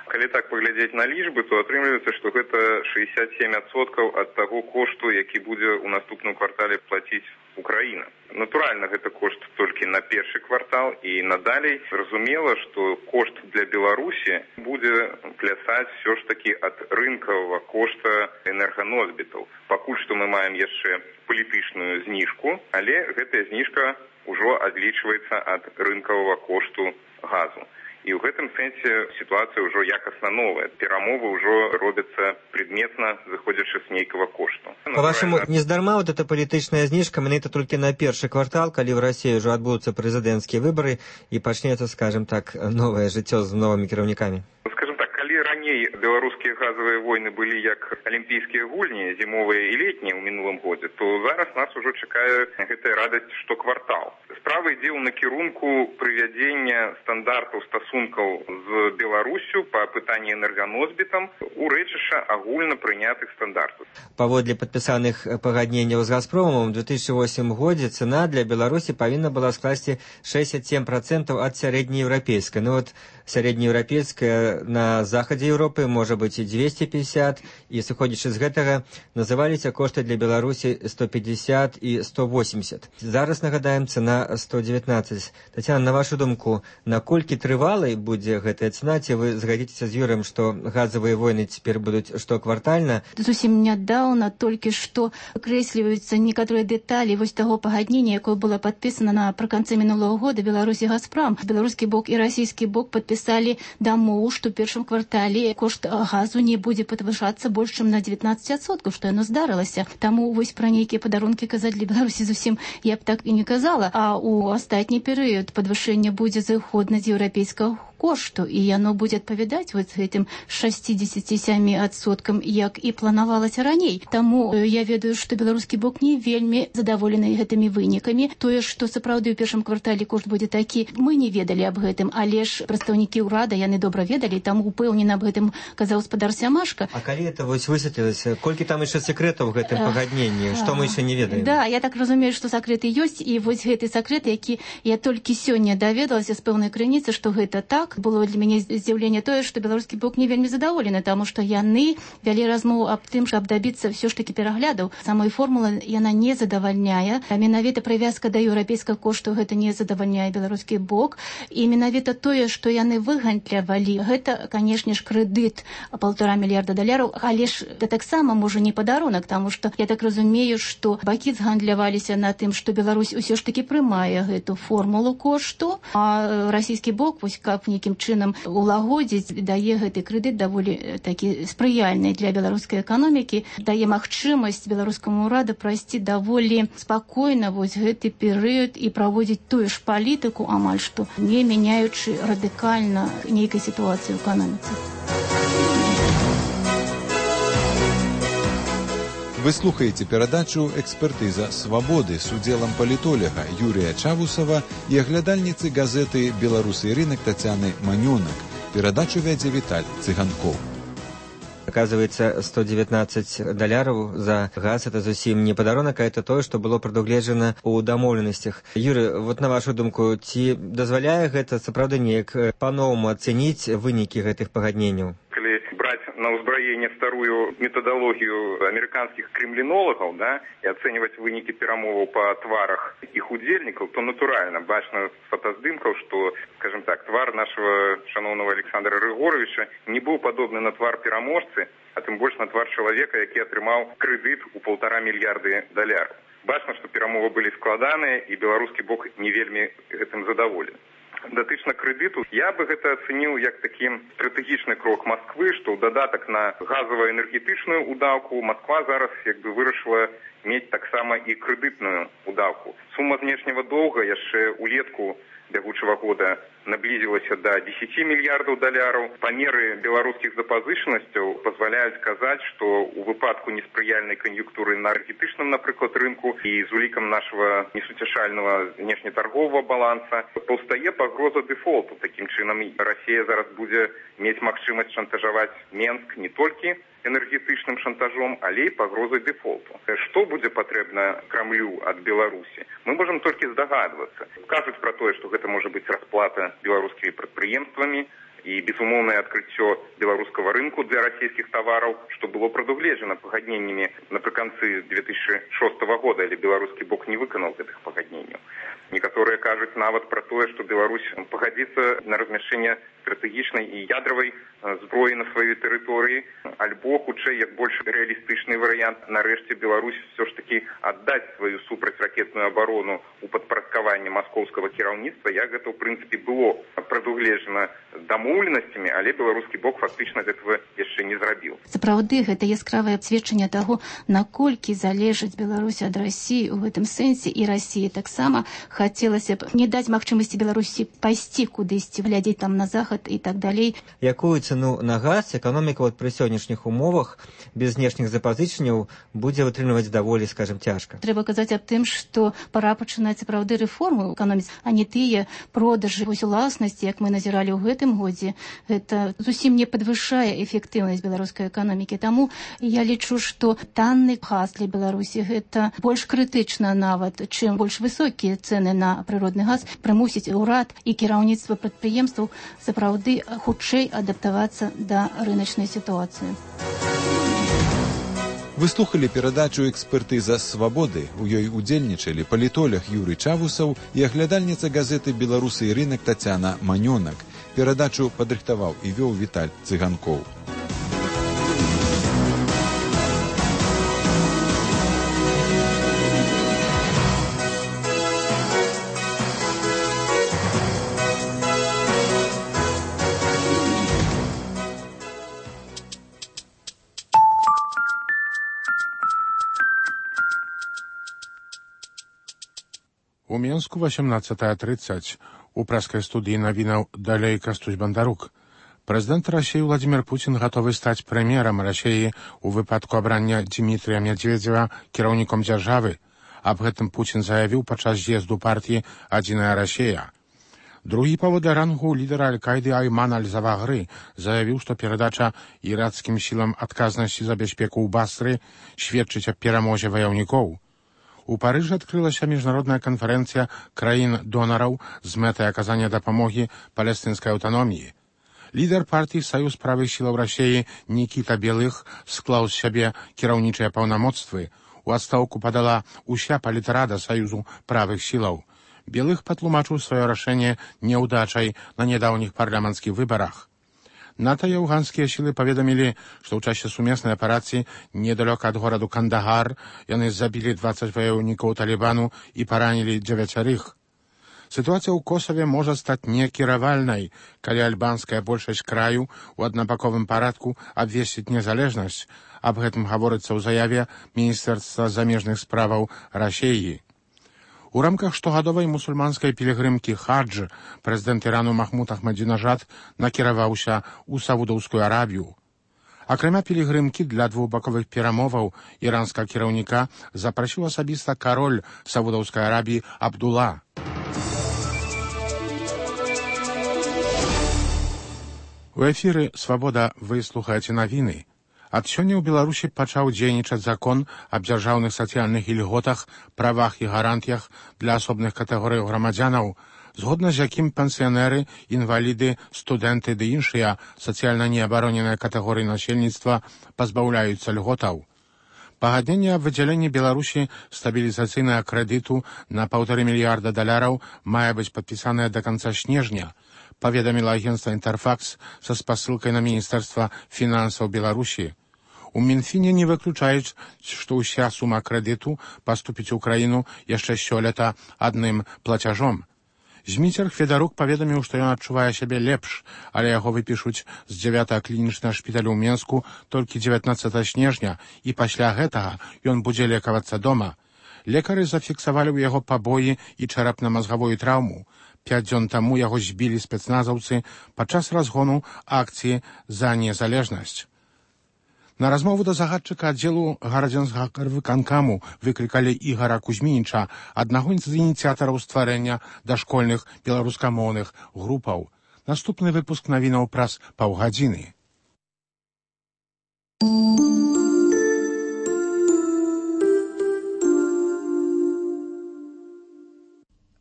Калі так паглядзець на лічбы, то атрымліваецца, што гэта шэсцьдзесят сем адсоткаў ад таго кошту, які будзе ў наступным квартале плаціць Украіна. Натуральна, гэта кошт толькі на першы квартал, і надалей зразумела, што кошт для Беларусі будзе плясаць все ж такі ад рынкавага кошта энерганосьбітаў. Пакуль што мы маем яшчэ палітычную зніжку, але гэтая зніжка ўжо адлічваецца ад рынкавага кошту газу. І ў гэтым сэнсе сітуацыя ўжо якасна новая. Перамовы ўжо робяцца предметна, заходзячы з нейкага кошту. Па-вашаму, нездарма вот эта палітычная зніжка, менавіта толькі на першы квартал, калі ў Расіі ўжо адбудуцца прэзідэнцкія выбары і пачнецца, скажем так, новае жыццё з новымі кіраўнікамі? Скажем так, калі раней беларускія газавыя войны былі як алімпійскія гульні, зімовыя і летнія ў мінулым годзе, то зараз нас ужо чакае гэтая радасць штоквартал. Справа ідзе ў накірунку прывядзення стандартаў стасункаў з Беларусю па пытанні энерганосьбітам у рэчышча агульна прынятых стандартаў. Паводле падпісаных пагадненняў з Газпромам у две тысячи восьмым годзе цана для Беларусі павінна была скласці шэсцьдесят семь процентаў ад сярэднееўрапейскай. Ну вот сярэднееўрапейская на захадзе Еўропы можа быць і дзвесце пятьдесят, і сыходзячы з гэтага называліся кошты для Беларусі сто пятьдесят і сто восемьдесят. Зараз нагадаем цена сто девятнадцать. Тацяна, на вашу думку, наколькі трывалай будзе гэтая цена, ці вы згадзіцеся з Юрыем, што газавыя войны цяпер будуць штоквартальна? Зусім нядаўна толькі што акрэсліваюцца некаторыя дэталі вось таго пагаднення, якое было падпісана напрыканцы мінулого года Беларусь і Газпром. Беларускі бок і расійскі бок падпісалі дамову, што ў першым квартале кошт газу не будзе падвышацца больш чым на девятнадцать адсоткаў, што яно здарылася. Таму вось пра нейкія падарункі казаць для Беларусі зусім я б так і не казала. А ў астатні перыяд падвышэнне будзе зыходна з еўрапейскага кошту, і яно будзе адпавядаць вот гэтым шестьдесят семь адсоткам, як і планавалася раней. Таму я ведаю, што беларускі бок не вельмі задаволены гэтымі вынікамі. Тое, што сапраўды ў першым квартале кошт будзе такі, мы не ведалі аб гэтым, але ж прадстаўнікі ўрада яны добра ведалі, таму упэўнена аб гэтым казаў гаспадар Сямашка. А калі это вось высветлілася, колькі там яшчэ секрэтаў у гэтым пагадненні, што мы яшчэ не ведаем? Да, я так разумею, што сакрэты ёсць, і вось гэты сакрэт, які я толькі сёння даведалася з пэўнай крыніцы, што гэта так. Было для мяне здзіўленне тое, што беларускі бок не вельмі задаволены, таму што яны вялі размову аб тым, каб дабіцца ўсё ж такі пераглядаў. Самой формулы яна не задавальняе. А менавіта прывязка да еўрапейскага кошту гэта не задавальняе беларускі бок. І менавіта тое, што яны выгандлявалі, гэта, канешне ж, крэдыт полтора мільярда даляраў, але ж гэта таксама можа не падарунак, таму што я так разумею, што бакі згандляваліся на тым, што Беларусь усё ж такі прымае гэту формулу кошту, а расійскі бок, вось каб нейкім чынам улагодзіць, дае гэты крэдыт даволі такі спрыяльны для беларускай эканомікі, дае магчымасць беларускаму ўраду прайсці даволі спакойна вось гэты перыяд і праводзіць тую ж палітыку, амаль што не мяняючы радыкальна нейкай сітуацыі ў эканоміцы. Вы слухаеце перадачу «Экспертыза свабоды» з удзелам палітолага Юрія Чавусава і аглядальніцы газеты «Беларусы і рынак» Тацяны Манёнак. Перадачу вядзе Віталь Цыганкоў. Оказывается, сто девятнадцать даляраў за газ это зусім не падарунак, а это тое, што было прадугледжана ў дамоўленасцях. Юры, вот на вашу думку, ці дазваляе гэта сапраўды неяк па-новаму ацэніць вынікі гэтых пагадненняў? Калі браць на ўзбраенне старую метадалогію амерыканскіх кремлінолагаў, да, і ацэньваць вынікі перамоваў па тварах іх удзельнікаў, то натуральна бачна з фотаздымкаў, што, скажем так, твар нашего шановного Александра Рыгоровича не быў падобны на твар пераможцы, а тым больш на твар чалавека, які атрымаў крэдыт у полтора мільярды даляраў. Бачна, што перамовы былі складаныя, і беларускі бок не вельмі гэтым задаволены. Датычна крэдыту, я бы гэта ацэніў як такі стратэгічны крок Масквы, што ў дадатак на газава-энергетычную ўдаўку Масква зараз як бы вырашыла мець таксама і крэдытную ўдаўку. Сума знешняга доўга яшчэ улетку бягучага года наблизілася до десяти мільярдаў даляраў. Памеры беларускіх запазычанасцяў пазваляюць казаць, што ў выпадку неспрыяльнай кан'юнктуры на энергетычным, напрыклад, рынку і з улікам нашага несуцяшальнага внешнетарговага баланса паўстае пагроза дэфолту. Такім чынам Расія зараз будзе мець магчымасць шантажаваць Менск не толькі энергетычным шантажом, але і пагрозай дэфолту. Што будзе патрэбна Крамлю ад Беларусі? Мы можам толькі здагадвацца. Кажуць пра тое, што гэта можа быць расплата беларускімі прадпрыемствамі і безумоўнае адкрыццё беларускага рынку для расійскіх тавараў, што было прадугледжана пагадненнямі напрыканцы две тысячи шостага года, але беларускі бок не выканаў гэтых пагадненняў. Некаторыя кажуць нават пра тое, што Беларусь пагадзіцца на размяшчэнне стратэгічнай і ядравай зброі на сваёй тэрыторыі, альбо, хутчэй, як больш рэалістычны варыянт, нарэшце Беларусь все ж таки аддаць сваю супрацьракетную абарону ў падпарадкаванне маскоўскага кіраўніцтва, як гэта, ў прынцыпе, было прадугледжана дамоўленасцямі, але беларускі бок фактычна гэтага яшчэ не зрабіў. Сапраўды, гэта яскравае сведчанне таго, наколькі залежыць Беларусь ад Расіі ў гэтым сэнсе, і Расіі таксама хацелася б не даць магчымасці Беларусі пайсці кудысьці, глядзець там на захад і так далей. Якую цену на газ эканоміка вот пры сённяшніх умовах без знешніх запазычанняў будзе вытрымліваць даволі, скажем, цяжка? Трэба казаць аб тым, што пара пачынаць сапраўды рэформы ў эканоміцы, а не тыя продажы вось уласнасці, як мы назіралі ў гэтым годзе. Гэта зусім не падвышае эфектыўнасць беларускай эканомікі. Таму я лічу, што танны газ для Беларусі гэта больш крытычна нават, чым больш высокія цэны на прыродны газ прымусіць урад і кіраўніцтва прадпрыемстваў сапраўды сапраўды хутчэй адаптавацца да рыначнай сітуацыі. Вы слухали перадачу «Экспертыза свабоды». У ёй удзельнічалі палітолог Юрый Чавусаў і аглядальніца газеты «Беларусы і рынак» Тацяна Манёнак. Перадачу падрыхтаваў і вёў Віталь Цыганкоў. У Менску восемнадцатая тридцать. У праскай студыі навінаў далей Кастусь Бандарук. Прэзідэнт Расіі Владимир Путин гатовы стаць прэм'ерам Расіі у выпадку абрання Дмітрія Медведзева кіраўніком дзяржавы. Аб гэтым Путин заявіў падчас з'езду партыі «Адзіная Расія». Другі павода рангу лідара Аль-Каіды Айман Аль-Завагры заявіў, што перадача іракскім сілам адказнасці за бяспеку ў Басры сведчыць аб перамозе ваяўнікоў. У Парыжы адкрылася міжнародная канферэнцыя краін-донараў з мэтай аказання дапамогі палестынскай аўтаноміі. Лідар партыі Саюз правых сілаў Расіі Нікіта Белых склаў з сябе кіраўнічыя паўнамоцтвы. У адстаўку падала ўся палітрада Саюзу правых сілаў. Белых патлумачыў сваё рашэнне няўдачай на нядаўніх парламенцкіх выбарах. НАТО і афганскія сілы паведамілі, што ў часе сумеснай аперацыі недалёка ад гораду Кандагар яны забілі дваццаць ваяўнікоў Талібану і паранілі дзевяцярых. Сітуацыя ў Косаве можа стаць некіравальнай, калі альбанская большасць краю ў аднабаковым парадку абвесціць незалежнасць. Аб гэтым гаворыцца ў заяве Міністэрства замежных справаў Расіі. У рамках штогадовай мусульманскай пілігрымкі хадж прэзідэнт Ірану Махмуд Ахмадзінажад накіраваўся ў Саудаўскую Арабію. Акрамя пілігрымкі для двухбаковых перамоваў іранскага кіраўніка запрасіў асабіста кароль Саудаўскай Арабіі Абдула. У эфіры «Свабода» вы слухаеце навіны. Ад сёння ў Беларусі пачаў дзейнічаць закон аб дзяржаўных сацыяльных ільготах, правах і гарантыях для асобных катэгорый грамадзянаў, згодна з якім пенсіянеры, інваліды, студэнты ды іншыя сацыяльна неабароненыя катэгорыі насельніцтва пазбаўляюцца льготаў. Пагадненне аб выдзяленні Беларусі стабілізацыйнага крэдыту на паўтары мільярда даляраў мае быць падпісанае да канца снежня, паведаміла агенцтва «Інтэрфакс» са спасылкай на Міністэрства фінансаў Беларусі. У Мінфіне не выключаюць, што ўся сума крэдыту паступіць у краіну яшчэ сёлета адным плацяжом. Зміцер Федарук паведаміў, што ён адчувае сябе лепш, але яго выпішуць з дзявятага клінічнага шпіталя ў Менску толькі дзевятнаццатага снежня, і пасля гэтага ён будзе лекавацца дома. Лекары зафіксавалі ў яго пабоі і чарапна-мазгавую траўму. Пяць дзён таму яго збілі спецназаўцы падчас разгону акцыі за незалежнасць. На размову да загадчыка аддзелу гарадзянскага выканкаму выклікалі Ігара Кузьмініча, аднаго з ініцыятараў стварэння дашкольных беларускамоўных групаў. Наступны выпуск навінаў праз паўгадзіны.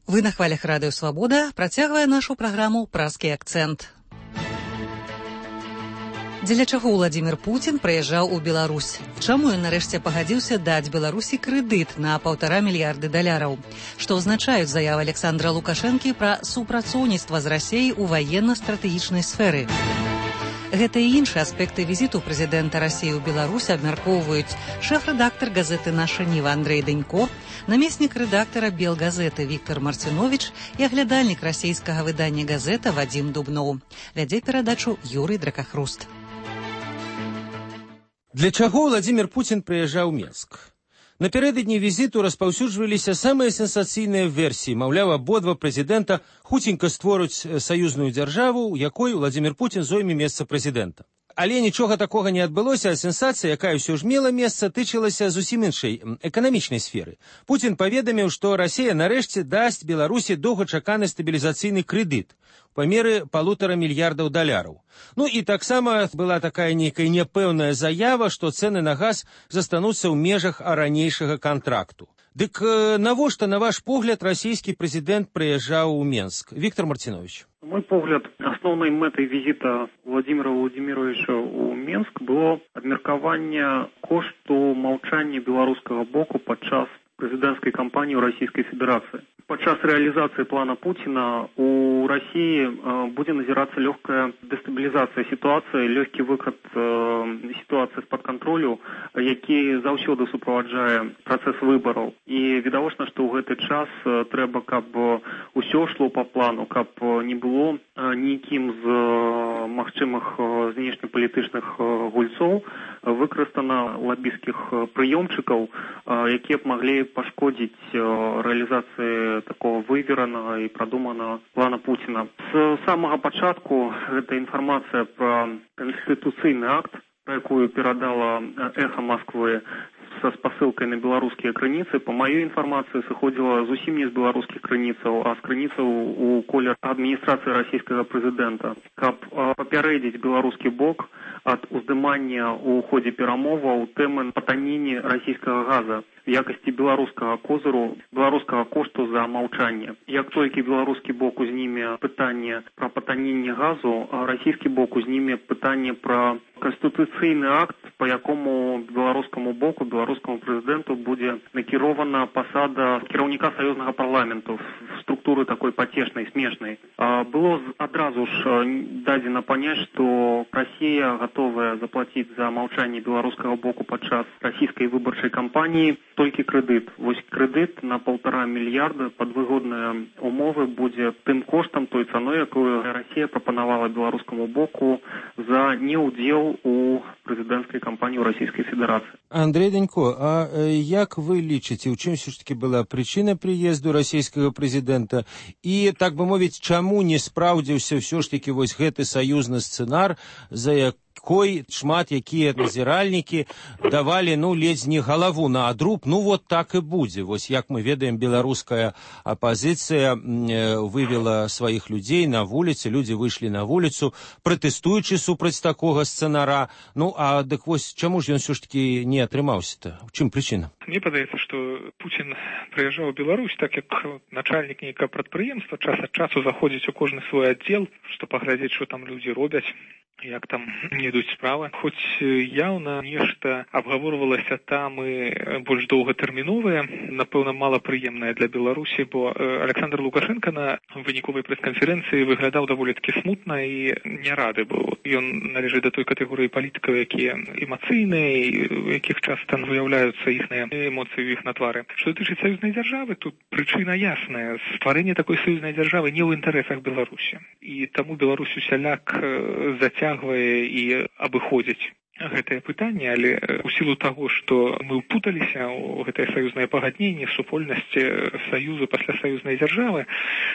Вы на хвалях радыё «Свабода» працягвае нашу праграму «Празкі акцэнт». Дзеля чаго Владимир Путин прыязджаў у Беларусь? Чаму ён нарэшце пагадзіўся даць Беларусі крэдыт на паўтара мільярды даляраў? Што азначаюць заявы Александра Лукашэнкі пра супрацоўніцтва з Расіяй у ваенна-стратэгічнай сферы? Гэта і іншыя аспекты візіту прэзідэнта Расіі ў Беларусь абмяркоўваюць шэф-рэдактар газеты «Наша Ніва» Андрэй Данько, намеснік рэдактара «Белгазеты» Віктор Марцинович і аглядальнік расійскага выдання «Газета» Вадзім Дубноў. Вядзе перадачу Юрый Дракахруст. Для чаго Владимир Путин прыязджаў у Менск? Напярэдадні візіту распаўсюджваліся самыя сенсацыйныя версіі, маўляў, абодва прэзідэнта хуценька створаць саюзную дзяржаву, у якой Владимир Путин зойме месца прэзідэнта. Але нічога такога не адбылося, а сенсацыя, якая ўсё ж мела месца, тычылася зусім іншай эканамічнай сферы. Путин паведаміў, што Расія нарэшце дасць Беларусі доўгачаканы стабілізацыйны крэдыт у памеры палутара мільярдаў даляраў. Ну і таксама была такая нейкая няпэўная заява, што цэны на газ застануцца ў межах ранейшага кантракту. Дык навошта, на ваш погляд, расійскі прэзідэнт прыязджаў у Менск? Віктор Мартинович. На мой погляд, основной мэтай визита Владимира Владимировича у Менск было абмеркаванне кошту маўчання беларускага боку падчас прэзідэнцкай кампаніі ў Расійскай Федэрацыі. Падчас рэалізацыі плана Пуціна у Расіі будзе назірацца лёгкая дэстабілізацыя сітуацыі, лёгкі выхад сітуацыі з-пад кантролю, які заўсёды суправаджае працэс выбараў. І відавочна, што ў гэты час трэба, каб усё шло па плану, каб не было нікім з магчымых знешнепалітычных гульцоў выкарыстана лабісцкіх прыёмчыкаў, якія б маглі пашкодзіць рэалізацыі такого выверанага і прадуманага плана Пуціна. З самага пачатку гэта інфармацыя пра канстытуцыйны акт, пра якую перадала «Эхо Москвы» со спасылкай на беларускія крыніцы, па маёй інфармацыі сыходзіла зусім не з беларускіх крыніцаў, а з крыніцаў у коле адміністрацыі расійскага прэзідэнта, каб папярэдзіць беларускі бок ад уздымання ў ходзе перамоваў тэмы патанення расійскага газа в якасці беларускага козыру, беларускага кошту за маўчанне. Як толькі беларускі бок узніме пытанне пра патаненне газу, а расійскі бок узніме пытанне пра канстытуцыйны акт, па якому беларускаму боку, беларускаму прэзідэнту будзе накірована пасада кіраўніка саюзнага парламенту в структуры такой пацешнай, смешнай. Было адразу ж дадзена паняць, што Расія гатовая заплаціць за маўчанне беларускага боку падчас расійскай выбарчай кампаніі толькі крэдыт. Вось крэдыт на полтора мільярда пад выгодныя умовы будзе тым коштам, той цаной, якую Расія прапанавала беларускаму боку за неўдзел у прэзідэнцкай кампаніі ў Расійскай Федэрацыі. Андрей Данько, а як вы лічыце, у чым все ж таки была прычына прыезду расійскага прэзідэнта і, так бы мовіць, чаму не спраўдзіўся ўсё ж таки вось гэты саюзны сцэнар, за як кой шмат якія назіральнікі давалі, ну, ледзь не галаву на адруб, ну, вот так і будзе. Вось як мы ведаем, беларуская апазіцыя вывела сваіх людзей на вуліцы, людзі выйшлі на вуліцу, пратэстуючы супраць такога сцэнара. Ну, а дык вось чаму ж ён все ж таки не атрымаўся-то? У чым прычына? Мне падаецца, што Пуцін прыязджаў у Беларусь, так як начальнік нейкага прадпрыемства, час ад часу заходзіць у кожны свой аддзел, што паглядзець, што там людзі робяць, як там не ідуць справы. Хоць яўна нешта абгаворвалася там і больш доўгатэрміновае, напэўна, малапрыемнае для Беларусі, бо Александр Лукашенко на выніковай прэс-канферэнцыі выглядаў даволі-такі смутна і не рады быў. Ён належыць да той катэгорыі палітыкаў, якія эмацыйныя, у якіх часта выяўляюцца іхныя эмоцыі ў іх на твары. Што датычыць саюзнай дзяржавы, тут прычына ясная. Стварэнне такой саюзнай дзяржавы не ў інтарэсах Беларусі. І таму Беларусь усяляк зацягвае і абыходзіць гэтае пытанне, але у сілу таго, што мы ўпуталіся ў гэтае саюзнае пагадненне, супольнасць саюзу пасля саюзнай дзяржавы,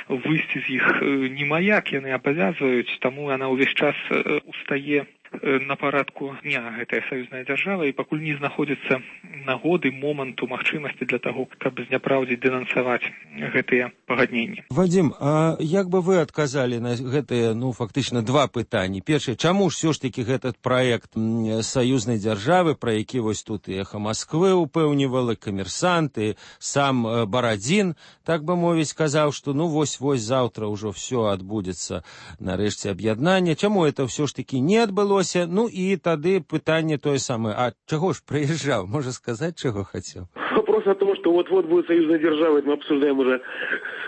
выйсці з іх немаяк яны абавязваюць, таму яна ўвесь час устае на парадку дня гэтая саюзная дзяржава і пакуль не знаходзіцца нагоды, моманту, магчымасці для таго, каб зняпраўдзіць, дэнансаваць гэтыя пагадненні. Вадзім, а як бы вы адказалі на гэтыя, ну, фактычна два пытанні? Першае, чаму ж все ж таки гэтый праект саюзнай дзяржавы, пра які вось тут і «Эхо Москвы» упэўнівала, «Камерсант» і сам Барадзін, так бы мовіць, казаў, што ну вось-вось заўтра ўжо все адбудзецца нарэшце аб'яднанне. Чаму это все ж таки не адбылося? Ну і тады пытанне тое самае, а чаго ж прыязджаў? Можа сказаць, чаго хацеў? Вопрос о том, что вот-вот будет союзная держава, это мы обсуждаем уже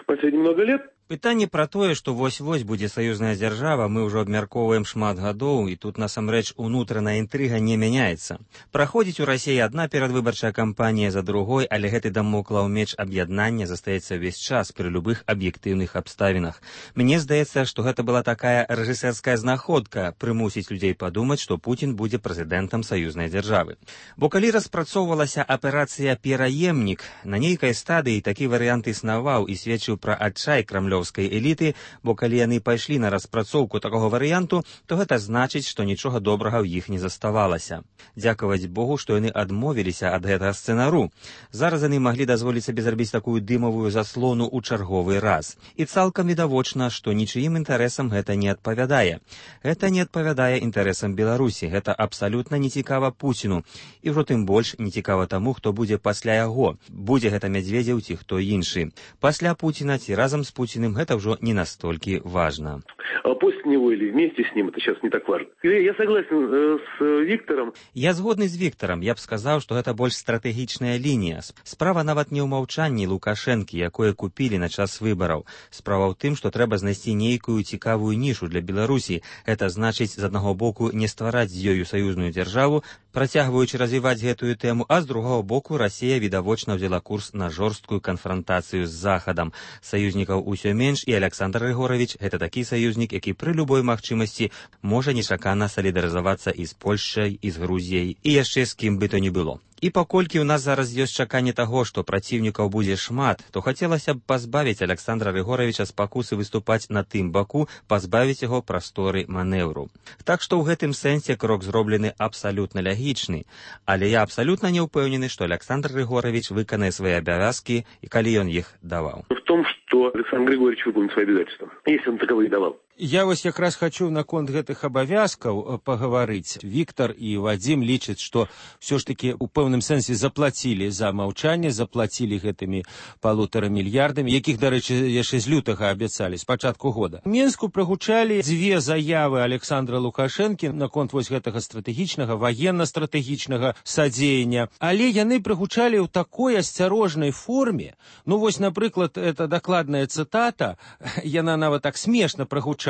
последние много лет. Пытанне пра тое, што вось-вось будзе саюзная дзяржава, мы ўжо абмяркоўваем шмат гадоў, і тут насамрэч унутраная інтрыга не мяняецца. Праходзіць у Расіі адна перадвыбарчая кампанія за другой, але гэты дамоклаў меч аб'яднання застаецца ўвесь час пры любых аб'ектыўных абставінах. Мне здаецца, што гэта была такая рэжысэрская знаходка прымусіць людзей падумаць, што Пуцін будзе прэзідэнтам саюзнай дзяржавы. Бо калі распрацоўвалася аперацыя «Пераемнік», на нейкай стадыі такі варыянт існаваў і сведчыў пра адчай крамлёвскага крамлёўскай эліты, бо калі яны пайшлі на распрацоўку такога варыянту, то гэта значыць, што нічога добрага ў іх не заставалася. Дзякаваць Богу, што яны адмовіліся ад гэтага сцэнару. Зараз яны маглі дазволіць сабе зрабіць такую дымавую заслону ў чарговы раз. І цалкам відавочна, што нічыім інтарэсам гэта не адпавядае. Гэта не адпавядае інтарэсам Беларусі. Гэта абсалютна не цікава Пуціну. І ўжо тым больш не цікава таму, хто будзе пасля яго. Будзе гэта Мядзведзеў ці хто іншы. Пасля Пуціна ці разам з Пуціным гэта ўжо не настолькі важна. А после него или вместе с ним, это сейчас не так важно. Я согласен э, с Виктором. Я згодны з Віктарам. Я б сказаў, што гэта больш стратэгічная лінія. Справа нават не ў маўчанні Лукашэнкі, якое купілі на час выбараў. Справа ў тым, што трэба знайсці нейкую цікавую нішу для Беларусі. Гэта значыць, з аднаго боку, не ствараць з ёю саюзную дзяржаву, працягваючы развіваць гэтую тэму, а з другого боку Расія відавочна ўзяла курс на жорсткую канфрантацыю з Захадам. Саюзнікаў усё менш, і Александр Григорович гэта такі саюзнік, які пры любой магчымасці можа нечакана салідарызавацца і з Польшчай, і з Грузіяй, і яшчэ з кім бы то ні было. І паколькі ў нас зараз ёсць чаканне таго, што праціўнікаў будзе шмат, то хацелася б пазбавіць Александра Григоровича спакусы выступаць на тым баку, пазбавіць яго прасторы манеўру. Так што ў гэтым сэнсе крок зроблены абсалютна лягічны. Але я абсалютна не ўпэўнены, што Александр Григорович выканае свае абавязкі, і калі ён іх даваў. В том, что Александр Григорьевич выполнит свои обязательства, если он таковые давал. Я вось якраз хочу наконт гэтых абавязкаў пагаварыць. Віктар і Вадзім лічаць, што ўсё ж такі ў пэўным сэнсе заплацілі за маўчанне, заплацілі гэтымі палутара мільярдамі, якіх, дарэчы, яшчэ з лютага абяцалі, з пачатку года. У Мінску прагучалі дзве заявы Александра Лукашэнкі наконт вось гэтага стратэгічнага, ваенна-стратэгічнага садзеяння, але яны прагучалі ў такой асцярожнай форме. Ну вось, напрыклад, это дакладная цытата, яна нават так смешна прагучала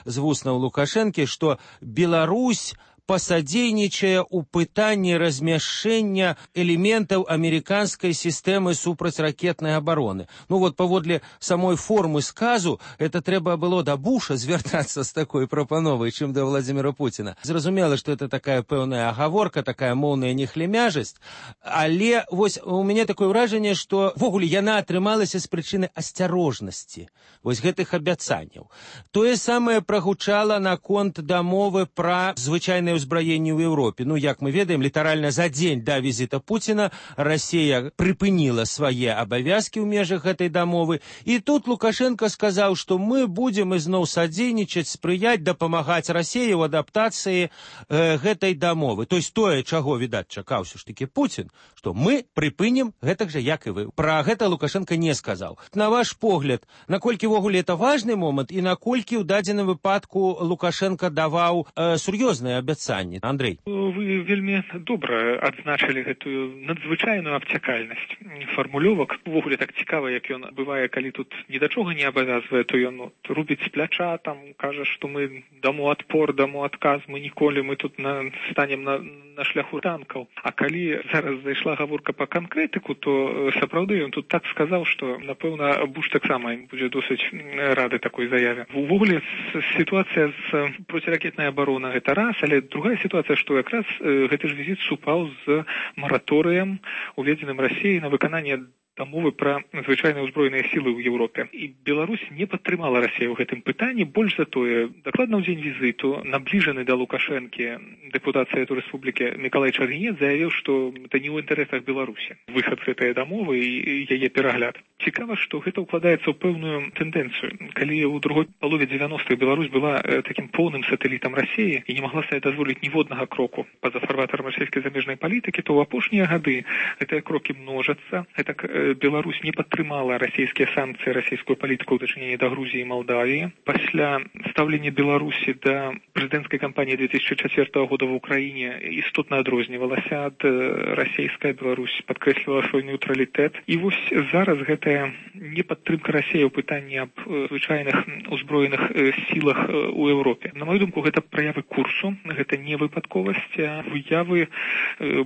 з вуснаў Лукашэнкі, што Беларусь пасадзейнічае ў пытанні размяшчэння элементаў амерыканскай сістэмы супрацьракетнай абароны. Ну вот паводле самой формы сказу, это трэба было да Буша звяртацца з такой прапановай, чым да Владзіміра Пуціна. Зразумела, што это такая пэўная агаворка, такая моўная нехлемяжасць, але вось у мяне такое ўражанне, што ввогуле яна атрымалася з прычыны асцярожнасці вось гэтых абяцанняў. Тое самае прагучала наконт дамовы пра звычайнае ўзбраенні ў Еўропе. Ну, як мы ведаем, літаральна за дзень да візіта Пуціна Расія прыпыніла свае абавязкі ў межах гэтай дамовы. І тут Лукашенко сказаў, што мы будзем ізноў садзейнічаць, спрыяць, дапамагаць Расіі ў адаптацыі э, гэтай дамовы. То есть тое, чаго, відаць, чакаў ўсё ж такі Пуцін, што мы прыпынім гэтак жа, як і вы. Пра гэта Лукашенко не сказаў. На ваш погляд, наколькі ввогуле это важны момант і наколькі ў дадзеным выпадку Лукашенко даваў э, сур'ёзныя абяцанні? Андрей. Вы вельмі добра адзначылі гэтую надзвычайную абцякальнасць фармулёвак. Увогуле так цікава, як ён бывае, калі тут ні да чога не абавязвае, то ён ну, рубіць з пляча, там кажа, што мы даму адпор, даму адказ, мы ніколі мы тут на, станем на, на шляху танкаў. А калі зараз зайшла гаворка па канкрэтыку, то сапраўды ён тут так сказаў, што напэўна Буш таксама будзе досыць рады такой заяве. Увогуле сітуацыя з проціракетнай абаронай гэта раз, але другая сітуацыя, што якраз э, гэты ж візіт супаў з мараторыем, уведзеным Расіяй на выкананне дамовы пра звычайныя ўзброеныя сілы ў Еўропе. І Беларусь не падтрымала Расію ў гэтым пытанні. Больш за тое, дакладна ў дзень візіту набліжаны да Лукашэнкі дэпутат Савету Рэспублікі Мікалай Чаргінец заявіў, што это не ў інтарэсах Беларусі. Выхад гэтай дамовы і яе перагляд. Цікава, што гэта ўкладаецца ў пэўную тэндэнцыю. Калі ў другой палове дзевяностых Беларусь была э, такім поўным сатэлітам Расіі і не магла сабе дазволіць ніводнага кроку па-за фарватарам расійскай замежнай палітыкі, то ў апошнія гады гэтыя крокі множацца. Гэта э, Беларусь не падтрымала расійскія санкцыі, расійскую палітыку ў дачыненні да Грузіі і Малдавіі. Пасля стаўлення Беларусі да прэзідэнцкай кампаніі две тысячи четвёртого года в Украіне істотна адрознівалася ад расійскай. Беларусь падкрэслівала свой нейтралітэт. І вось зараз гэтая непадтрымка Расіі ў пытанні аб звычайных узброеных сілах у Еўропе. На мою думку, гэта праявы курсу, гэта не выпадковасць, а выявы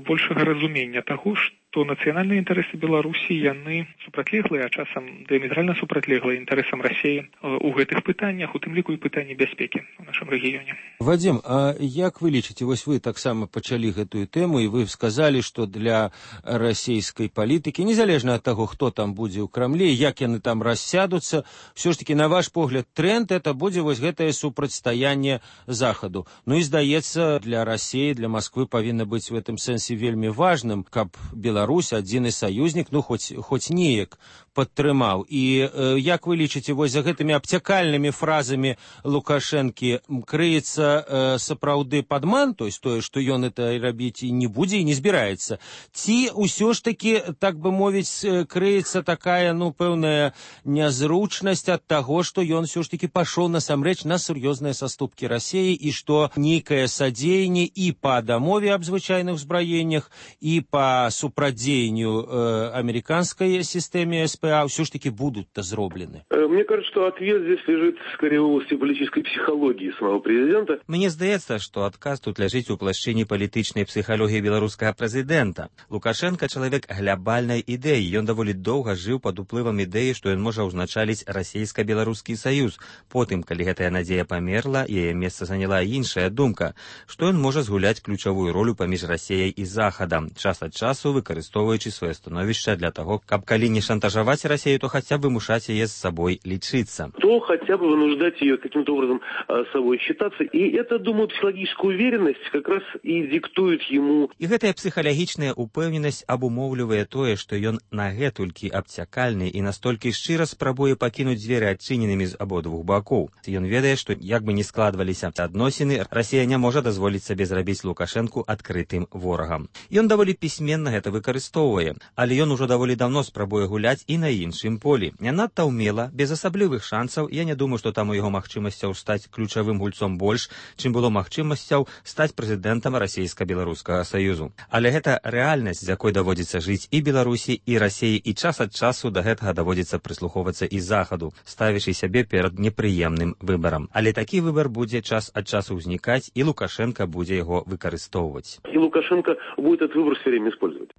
большага разумення таго, што што нацыянальныя інтарэсы Беларусі яны супрацьлеглыя, а часам дыаметральна супрацьлеглыя інтарэсам Расіі у гэтых пытаннях, у тым ліку і пытанні бяспекі ў нашым рэгіёне. Вадзім, а як вы лічыце, вось вы таксама пачалі гэтую тэму, і вы сказалі, што для расійскай палітыкі, незалежна ад таго, хто там будзе ў Крамлі, як яны там рассядуцца, ўсё ж такі, на ваш погляд, тренд это будзе вось гэтае супрацьстаянне Захаду. Ну і здаецца, для Расіі, для Масквы павінна быць в гэтым сэнсе вельмі важным, каб Беларусь, адзіны саюзнік, ну хоць, хоць неяк падтрымаў. І э, як вы лічыце, вось за гэтымі абцякальнымі фразамі Лукашэнкі крыецца э, сапраўды падман, то есть тое, што ён это рабіць і не будзе, і не збіраецца? Ці ўсё ж такі, так бы мовіць, крыецца такая, ну, пэўная нязручнасць ад таго, што ён ўсё ж такі пашоў насамрэч на сур'ёзныя саступкі Расіі, і што нейкае садзеянне і па дамове аб звычайных узбраеннях, і па супрадзеянню э, американской системе СПА все ж таки будут-то зроблены? Мне кажется, что ответ здесь лежит скорее в области политической психологии самого президента. Мне здаецца, што адказ тут ляжыць у плашчыне палітычнай псіхалогіі беларускага прэзідэнта. Лукашенко чалавек глябальнай ідэі. Ён даволі доўга жыў пад уплывам ідэі, што ён можа ўзначаліць расійска-беларускі саюз. Потым, калі гэтая надзея памерла, яе месца заняла іншая думка, што ён можа згуляць ключавую ролю паміж Расіяй і Захадам, час ад часу выкарыстоўваючы сваё становішча для таго, каб калі не шантажаваць Расію, то хаця бы вымушаць яе з сабой лічыцца. То хотя бы вынуждать ее каким-то образом с собой считаться. И это, думаю, психологическая уверенность как раз и диктует ему. І гэтая псіхалагічная упэўненасць абумоўлівае тое, што ён нагэтулькі абцякальны і настолькі шчыра спрабуе пакінуць дзверы адчыненымі з абодвух бакоў. Ён ведае, што як бы не складваліся адносіны, Расія не можа дазволіць сабе зрабіць Лукашэнку адкрытым ворагам. Ён даволі пісьменна гэта выкарыстоўвае, але ён ужо даволі давно спрабуе гуляць і на іншым полі. Не надта ўмела, без асаблівых шансаў. Я не думаю, што там у яго магчымасцяў стаць ключавым гульцом больш, чым было магчымасцяў стаць прэзідэнтам расійска-беларускага саюзу. Але гэта рэальнасць, з якой даводзіцца жыць і Беларусі, і Расіі, і час ад часу да гэтага даводзіцца прыслухоўвацца і Захаду, ставячы сябе перад непрыемным выбарам. Але такі выбар будзе час ад часу ўзнікаць, і Лукашенко будзе яго выкарыстоўваць. И Лукашенко будет этот выбор все время использовать.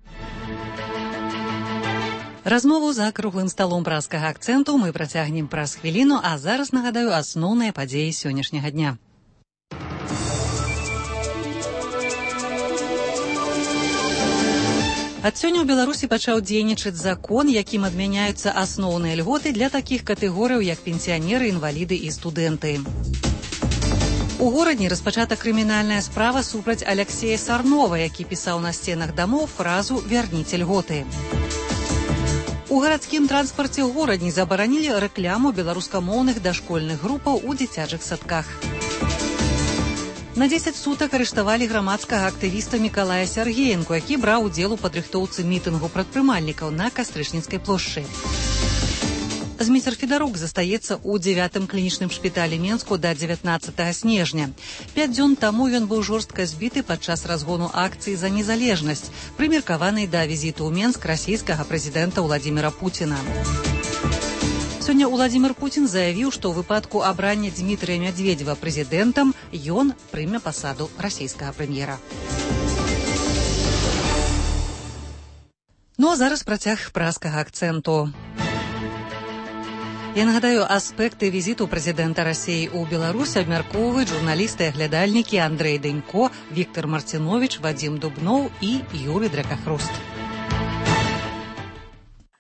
Размову за круглым сталом праскага акцэнту мы працягнем праз хвіліну, а зараз нагадаю асноўныя падзеі сённяшняга дня. Ад сёння ў Беларусі пачаў дзейнічаць закон, якім адмяняюцца асноўныя льготы для такіх катэгорыяў, як пенсіянеры, інваліды і студэнты. У горадні распачата крымінальная справа супраць Аляксея Сарнова, які пісаў на сценах дамоў фразу «Вярніце льготы». У гарадскім транспарце ў горадні забаранілі рэкляму беларускамоўных дашкольных групаў у дзіцячых садках. На дзесяць сутак арыштавалі грамадскага актывіста Мікалая Сяргеенку, які браў удзел у падрыхтоўцы мітынгу прадпрымальнікаў на Кастрычніцкай плошчы. Зміцер Федарук застаецца ў дзевятым клінічным шпіталі Менску да дзевятнаццатага снежня. Пяць дзён таму ён быў жорстка збіты падчас разгону акцыі за незалежнасць, прымеркаванай да візіту ў Менск расійскага прэзідэнта Ўладзіміра Пуціна. Сёння Ўладзімір Пуцін заявіў, што ў выпадку абрання Дзмітрыя Мядзведзева прэзідэнтам ён прыме пасаду расійскага прэм'ера. Ну а зараз працяг праскага акцэнту. Я нагадаю, аспекты візіту прэзідэнта Расіі ў Беларусь абмяркоўваюць журналісты і аглядальнікі Андрэй Дэнько, Віктор Марціновіч, Вадзім Дубноў і Юрый Дракахруст.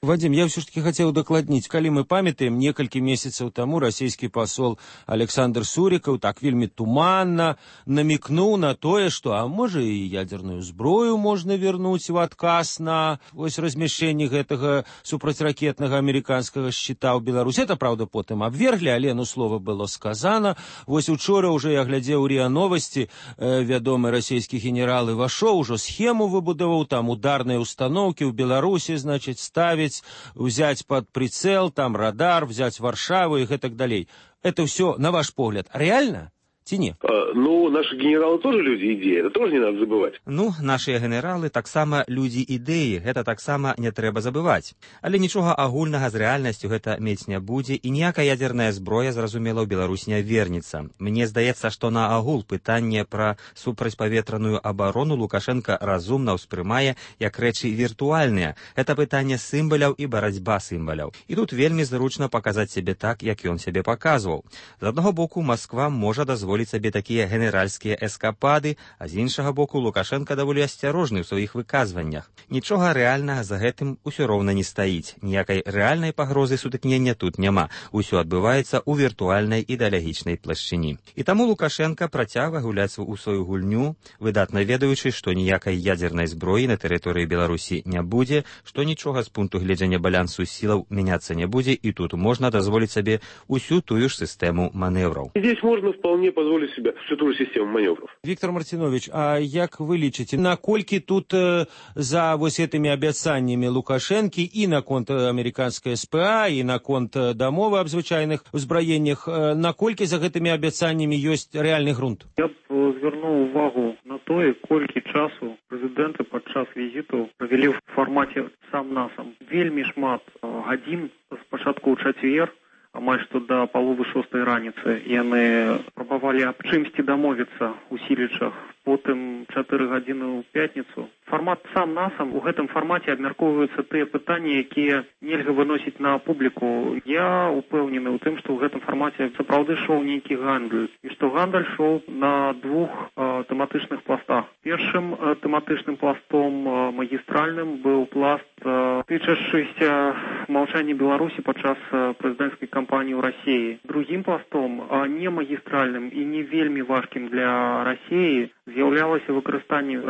Вадим, я все-таки хотел докладнить. Калі мы памятаем, некалькі месяцаў таму расійскі пасол Александр Сурикаў так вельмі туманна намекнуў на тое, што, а можа і ядерную зброю можна вернуць в адказ на ось размяшчэнне гэтага супрацьракетнага амерыканскага шчыта ў Беларусі. Это, правда, потым абверглі, але ну слова было сказано. Вось учора уже я глядзеў РИА Новости, э, вядомы расійскі генерал Івашоў ужо схему выбудаваў, там ударныя установкі ў Беларусі, значит, ставіць, взять под прицел, там радар, взять Варшаву и так далее. Это все, на ваш погляд, реально? Ці не? А, ну, наши генералы тоже люди идеи, это тоже не надо забывать. Ну, нашыя генералы таксама людзі ідэі, гэта таксама не трэба забываць. Але нічога агульнага з рэальнасцю гэта мець не будзе, і ніякая ядерная зброя, зразумела, ў Беларусь не вернецца. Мне здаецца, што на агул пытанне пра супрацьпаветраную абарону Лукашенко разумна ўспрымае як рэчы віртуальныя. Гэта пытанне сімваляў і барацьба сімваляў. І тут вельмі зручна паказаць сябе так, як ён сябе паказваў. З аднаго боку, Масква можа дазволіць сабе такія генеральскія эскапады, а з іншага боку, Лукашенко даволі асцярожны ў сваіх выказваннях. Нічога рэальнага за гэтым усё роўна не стаіць. Ніякай рэальнай пагрозы сутыкнення тут няма. Усё адбываецца ў віртуальнай ідэалагічнай плашчыні. І таму Лукашенко працягвае гуляць у сваю гульню, выдатна ведаючы, што ніякай ядзернай зброі на тэрыторыі Беларусі не будзе, што нічога з пункту гледжання балансу сілаў мяняцца не будзе, і тут можна дазволіць сабе усю тую ж сістэму маневраў. Здесь можно вполне позволить себе всю ту же систему маневров. Виктор Мартинович, а як вы лічыце, наколькі тут э, за вось этими абяцаннями Лукашенко и на конт американской СПА, и на конт дамовы аб звычайных узбраеннях, э, наколькі за гэтымі абяцаннями ёсць рэальны грунт? Я б звярнуў увагу на тое, колькі часу прэзідэнты падчас візіту правялі ў фармаце сам на сам. Вельмі шмат гадзін спачатку ў чацвер, амаль што да паловы шостай раніцы яны спрабавалі аб чымсьці дамовіцца ў Сілічах, потым чатыры гадзіны ў пятніцу. Фармат сам на сам, у гэтым фармаце абмяркоўваюцца тыя пытанні, якія нельга выносіць на публіку. Я упэўнены ў тым, што ў гэтым фармаце сапраўды шоў нейкі гандаль, і што гандаль шоў на двух э, тэматычных пластах. Першым э, тэматычным пластом э, магістральным быў пласт, э, тычачыся маўчання Беларусі падчас э, прэзідэнцкай кампаніі ў Расіі. Другім пластом, э, не магістральным і не вельмі важкім для Расіі, з'яўлялася выкарыстанне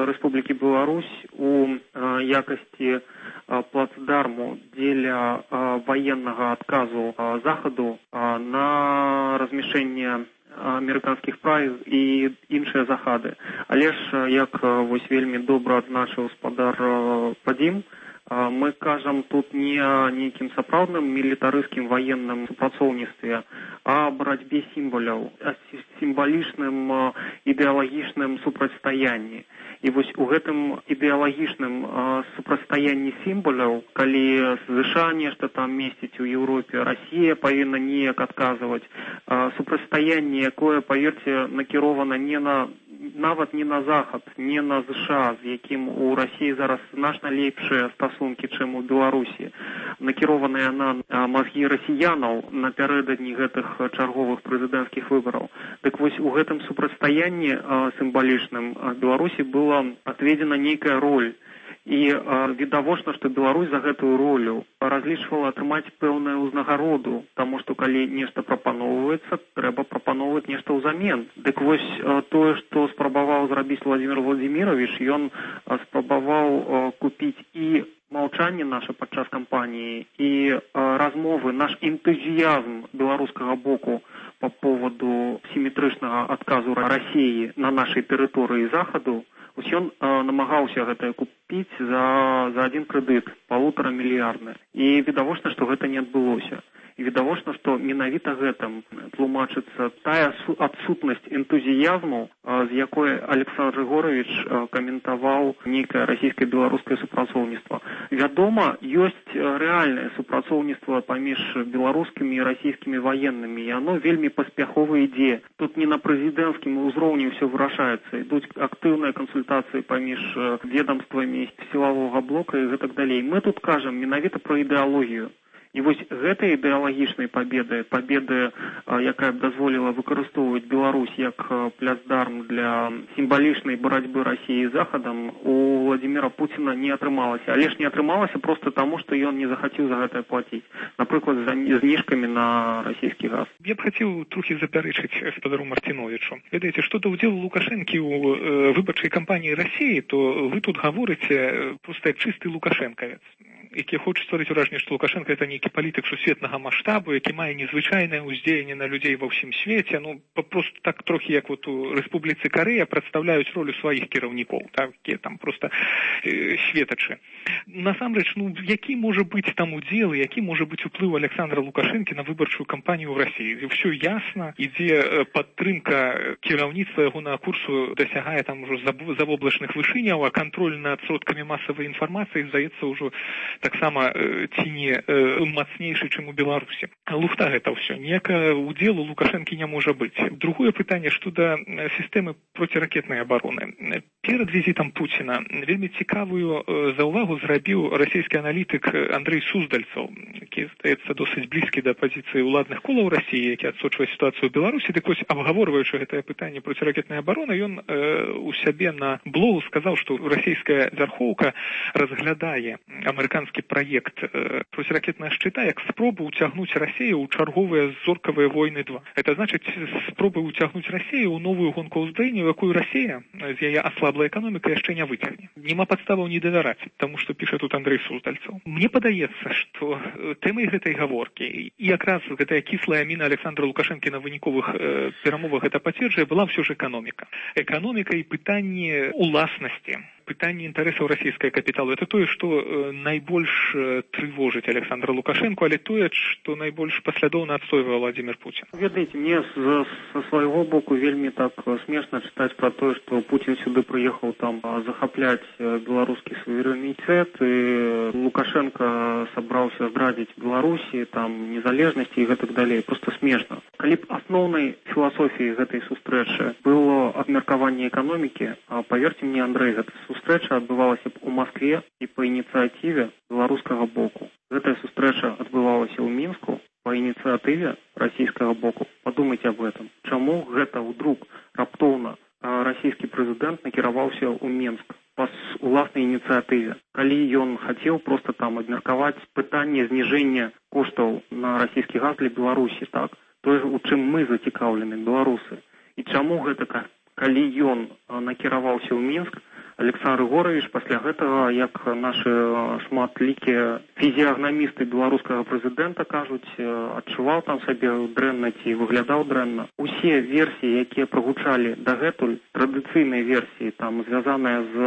Рэспублікі Беларусь у якасці плацдарму дзеля ваеннага адказу Захаду на размяшчэнне амерыканскіх прайз і іншыя захады. Але ж, як вось вельмі добра адзначыў спадар Падзім, мы кажам тут не о нейкім сапраўдным мілітарыскім ваенным супрацоўніцтве, а о барацьбе сімваляў, о сімвалічным ідэалагічным супрацьстаянні. І вось у гэтым ідэалагічным супрацьстаянні сімваляў, калі ЗША нешта там месціць у Еўропе, Расія павінна неяк адказваць, супрацьстаянне, якое, паверце, накірована не на нават не на Захад, не на ЗША, з якім у Расіі зараз значна лепшыя стасункі, чым у Беларусі, накіраваныя на мазгі расіянаў напярэдадні гэтых чарговых прэзідэнцкіх выбараў. Дык вось у гэтым супрацьстаянні сімвалічным Беларусі была адведзена нейкая роль. І відавочна, што Беларусь за гэтую ролю разлічвала атрымаць пэўную ўзнагароду, таму што калі нешта прапаноўваецца, трэба прапаноўваць нешта ўзамен. Дык вось тое, што спрабаваў зрабіць Владзімір Владзімірович, ён спрабаваў купіць і маўчанне наша падчас кампаніі, і размовы, наш энтузіязм беларускага боку па поводу сіметрычнага адказу Расіі на нашай тэрыторыі Захаду, ось ён э, намагаўся гэтае купіць за, за адзін крэдыт, палутара мільярдны. І відавочна, што гэта не адбылося. І відавочна, што менавіта гэтым тлумачыцца тая адсутнасць энтузіязму, з якой Александр Григорович каментаваў нейкае расійска-беларускае супрацоўніцтва. Вядома, ёсць рэальнае супрацоўніцтва паміж беларускімі і расійскімі ваеннымі, і оно вельмі паспяхова ідзе. Тут не на прэзідэнцкім узроўні ўсё вырашаецца. Ідуць актыўныя кансультацыі паміж ведомствамі сілавога блока і гэтак далей. Мы тут кажам менавіта пра ідэалогію. І вось гэтай ідэалагічнай пабеды, пабеды, якая б дазволіла выкарыстоўваць Беларусь як плацдарм для сімвалічнай барацьбы Расіі з Захадам, у Владзіміра Пуціна не атрымалася. Але ж не атрымалася проста таму, што ён не захацеў за гэта плаціць. Напрыклад, за зніжкамі на расійскі газ. Я б хацеў трохі запярэчыць спадару Мартиновичу. Ведаеце, што да ўдзелу Лукашэнкі ў выбарчай кампаніі Расіі, то вы тут гаворыце проста чысты лукашэнкавец, які хоча стварыць уражанне, што Лукашенко это нейкі палітык сусветнага маштабу, які мае незвычайнае ўздзеянне на людзей ва ўсім свеце. Ну, просто так трохі, як вот у Рэспубліцы Карэя прадстаўляюць ролю сваіх кіраўнікоў, так, якія там проста э, светачы. насамрэч, ну, які можа быць там удзел, які можа быць уплыў Александра Лукашэнкі на выбарчую кампанію ў Расіі. Ўсё ясна, ідзе падтрымка кіраўніцтва ягонага курсу дасягае там ужо завоблачных вышыняў, а кантроль над сродкамі масавай інфармацыі, здаецца, ўжо таксама ці не мацнейшы, чым у Беларусі. Лухта гэта ўсё. Ніякага удзелу Лукашэнкі не можа быць. Другое пытанне, што да сістэмы проціракетнай абароны. Перад візітам Пуціна вельмі цікавую заўвагу зрабіў расійскі аналітык Андрэй Суздальцаў, які, здаецца, досыць блізкі да пазіцыі ўладных колаў Расіі, які адсочвае сітуацыю ў Беларусі. Так вось, абгаворваючы гэтае пытанне проціракетнай абароны, ён э, у сябе на блогу сказаў, што расійская вярхоўка разглядае амерыканскі праект э, проціракетнага шчыта як спробу ўцягнуць Расію ў чарговыя зоркавыя войны два. Это значыць спробы ўцягнуць Расію ў новую гонку ўзброення, якую Расія з яе аслаблай эканомікай яшчэ не выцягне. Нема падставаў не давяраць, таму што піша тут Андрэй Суздальцаў. Мне падаецца, што тэмай гэтай гаворкі і якраз гэтая кіслая міна Александра Лукашэнкі на выніковых э, перамовах гэта пацверджае, была ўсё ж эканоміка. Эканоміка і пытанне уласнасці, пытанне інтарэсаў расійскага капіталу. Это тое, што э, найбольш э, трывожыць Александра Лукашэнку, але тое, што найбольш паслядоўна адстойвае Владзімир Путін. Ведаеце, мне з, са свайго боку вельмі так смешна чытаць пра тое, што Путін сюды прыехаў там захапляць беларускі суверэнітэт, і Лукашенко сабраўся здрадзіць Беларусі, там незалежнасці і гэтак далей. Просто смешна. Калі б асноўнай філасофіяй гэтай сустрэчы было абмеркаванне эканомікі, а паверьце мне, Андрэй, гэта сустрэча адбывалася б у Маскве і па ініцыятыве беларускага боку. Гэтая сустрэча адбывалася ў Мінску па ініцыятыве расійскага боку. Падумайце аб гэтым. Чаму гэта ўдруг раптоўна расійскі прэзідэнт накіраваўся ў Мінск па уласнай ініцыятыве, калі ён хацеў проста там абмеркаваць пытанне зніжэння коштаў на расійскі газ для Беларусі, так? Тое, у чым мы зацікаўлены, беларусы. І чаму гэта, калі ён накіраваўся ў Мінск, Александр Григорович пасля гэтага, як нашы шматлікія фізіягнамісты беларускага прэзідэнта кажуць, адчуваў там сабе дрэнна ці выглядаў дрэнна. Усе версіі, якія прагучалі дагэтуль, традыцыйныя версіі, там звязаныя з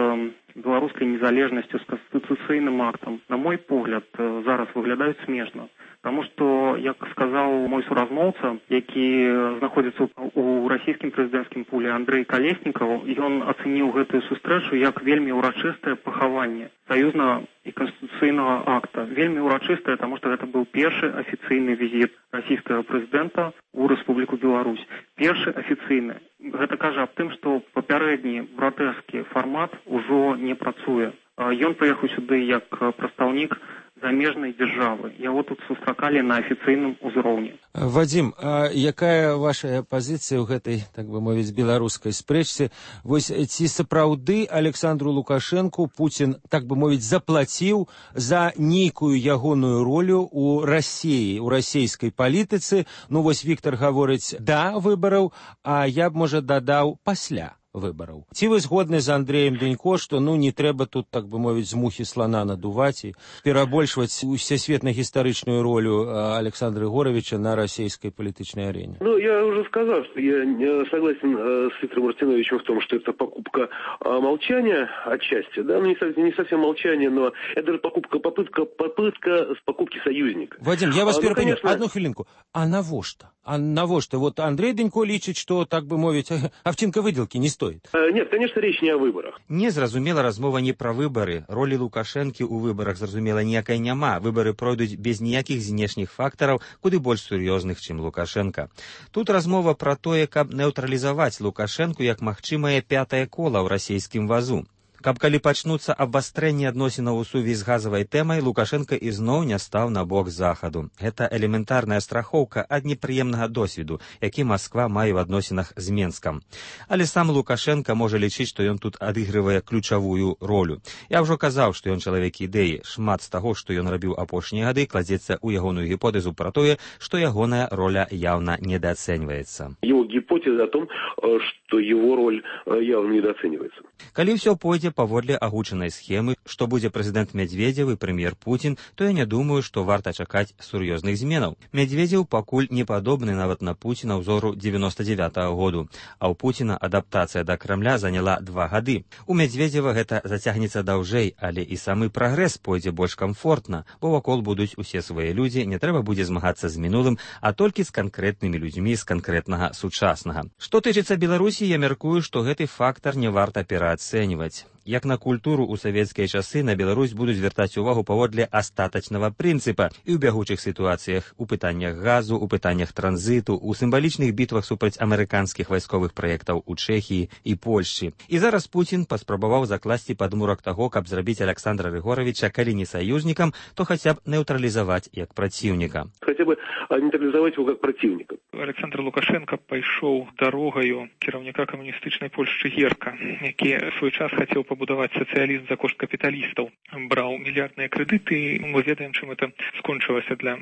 беларускай незалежнасцю, з канстытуцыйным актам, на мой погляд, зараз выглядаюць смешна. Таму што, як сказаў мой суразмоўца, які знаходзіцца ў расійскім прэзідэнцкім пуле, Андрэй Калеснікаў, ён ацэніў гэтую сустрэчу як вельмі ўрачыстае пахаванне саюзнага і канстытуцыйнага акта. Вельмі ўрачыстае, таму што гэта быў першы афіцыйны візіт расійскага прэзідэнта ў Рэспубліку Беларусь. Першы афіцыйны. Гэта кажа аб тым, што папярэдні братэrsкі фармат ужо не працуе. Ён прыехаў сюды як прадстаўнік замежнай дзяржавы. Яго тут сустракалі на афіцыйным узроўні. Вадзім, а якая ваша пазіцыя ў гэтай, так бы мовіць, беларускай спрэчцы? Вось ці сапраўды Александру Лукашэнку Путін, так бы мовіць, заплаціў за нейкую ягоную ролю ў Расіі, у расійскай палітыцы? Ну вось Віктор гаворыць да выбараў, а я б, можа, дадаў пасля выбараў. Ці вы згодны з Андрэем Денько, што ну не трэба тут, так бы мовіць, з мухі слана надуваць і перабольшваць усесветна-гістарычную ролю Александра Григоровича на российской политической арене? Ну, я уже сказал, что я согласен с Виктором Мартиновичем в том, что это покупка молчания отчасти, да, ну не совсем, не совсем молчание, но это даже покупка, попытка, попытка с покупки союзника. Вадим, я вас а, перепонял, ну, конечно... одну хвилинку. А навошта? А навошта? Вот Андрей Денько лічыць, что, так бы мовить, овчинка выделки не стоит. Нет, конечно, речь не о выборах. Незразумела размова не пра выбары. Ролі Лукашэнкі ў выбарах, зразумела, ніякай няма. Выбары пройдуць без ніякіх знешніх фактараў, куды больш сур'ёзных, чым Лукашенко. Тут размова пра тое, каб неўтралізаваць Лукашэнку як магчымае пятае кола ў расійскім вазу. Каб калі пачнуцца абвастрэнні адносінаў у сувязі з газавай тэмай, Лукашенко ізноў не стаў на бок захаду. Гэта элементарная страхоўка ад непрыемнага досведу, які Масква мае ў адносінах з Менскам. Але сам Лукашенко можа лічыць, што ён тут адыгрывае ключавую ролю. Я ўжо казаў, што ён чалавек ідэі. Шмат з таго, што ён рабіў апошнія гады, кладзецца ў ягоную гіпотэзу пра тое, што ягоная роля яўна недаацэньваецца. Его гипотеза гипотеза о том, что его роль явно недооценивается. Калі ўсё пойдзе паводле агучанай схемы, што будзе прэзідэнт Медведзеў і прэм'ер Пуцін, то я не думаю, што варта чакаць сур'ёзных зменаў. Медведзеў пакуль не падобны нават на Пуціна ўзору дзевяноста дзявятага году, а ў Пуціна адаптацыя да Крамля заняла два гады. У Медведзева гэта зацягнецца даўжэй, але і самы прагрэс пойдзе больш камфортна, бо вакол будуць усе свае людзі, не трэба будзе змагацца з мінулым, а толькі з канкрэтнымі людзьмі з канкрэтнага сучаснага. Што тычыцца Беларусі, я мяркую, што гэты фактар не варта пераацэньваць. Як на культуру ў савецкія часы на Беларусь будуць звяртаць увагу паводле астатачнага прынцыпа і ў бягучых сітуацыях, у пытаннях газу, у пытаннях транзіту, у сімвалічных бітвах супраць амерыканскіх вайсковых праектаў у Чэхіі і Польшчы. І зараз Пуцін паспрабаваў закласці падмурак таго, каб зрабіць Александра Григоровича, калі не саюзнікам, то хаця б нейтралізаваць як праціўніка. Хаця б нейтралізаваць его як праціўніка. Александр Лукашенко пайшоў дарогаю кіраўніка камуністычнай Польшчы Герка, які ў свой час хацеў пабудаваць сацыялізм за кошт капіталістаў, браў мільярдныя крэдыты, мы ведаем, чым это скончылася для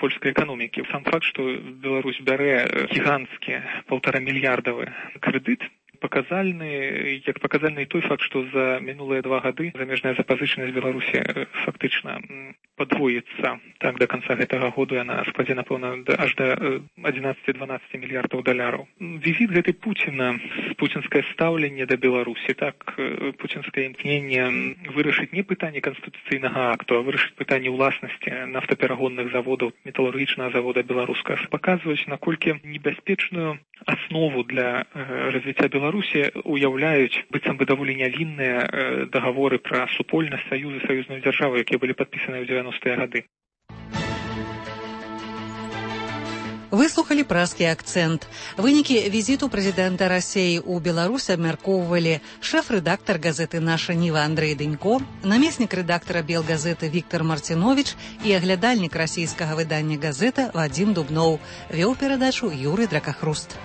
польскай эканомікі. Сам факт, што Беларусь бярэ гіганцкі паўтара мільярдавы крэдыт, паказальны, як паказальны той факт, што за мінулыя два гады замежная запазычанасць Беларусі фактычна падвоіцца. Так, до канца гэтага году яна складзе, напэўна, аж да адзінаццаці-дванаццаці мільярдаў даляраў. Візіт гэтай Пуціна, пуцінскае стаўленне да Беларусі, так, пуцінскае імкненне вырашыць не пытанне канстытуцыйнага акту, а вырашыць пытанне ўласнасці нафтаперагонных заводаў, металургічнага завода беларускага, паказваюць, наколькі небяспечную аснову для развіцця Беларусі уяўляюць быццам бы даволі нявінныя дагаворы пра супольнасць саюзы саюзнай дзяржавы, якія былі падпісаны ў дзевяностыя гады. Выслухалі празкі акцэнт. Вынікі візіту прэзідэнта Расіі ў Беларусь абмяркоўвалі шэф-рэдактар газеты «Наша Ніва» Андрэй Дэнько, намеснік рэдактара «Белгазеты» Віктор Марціновіч і аглядальнік расійскага выдання «Газета» Вадзім Дубноў. Вёў перадачу Юрый Дракахруст.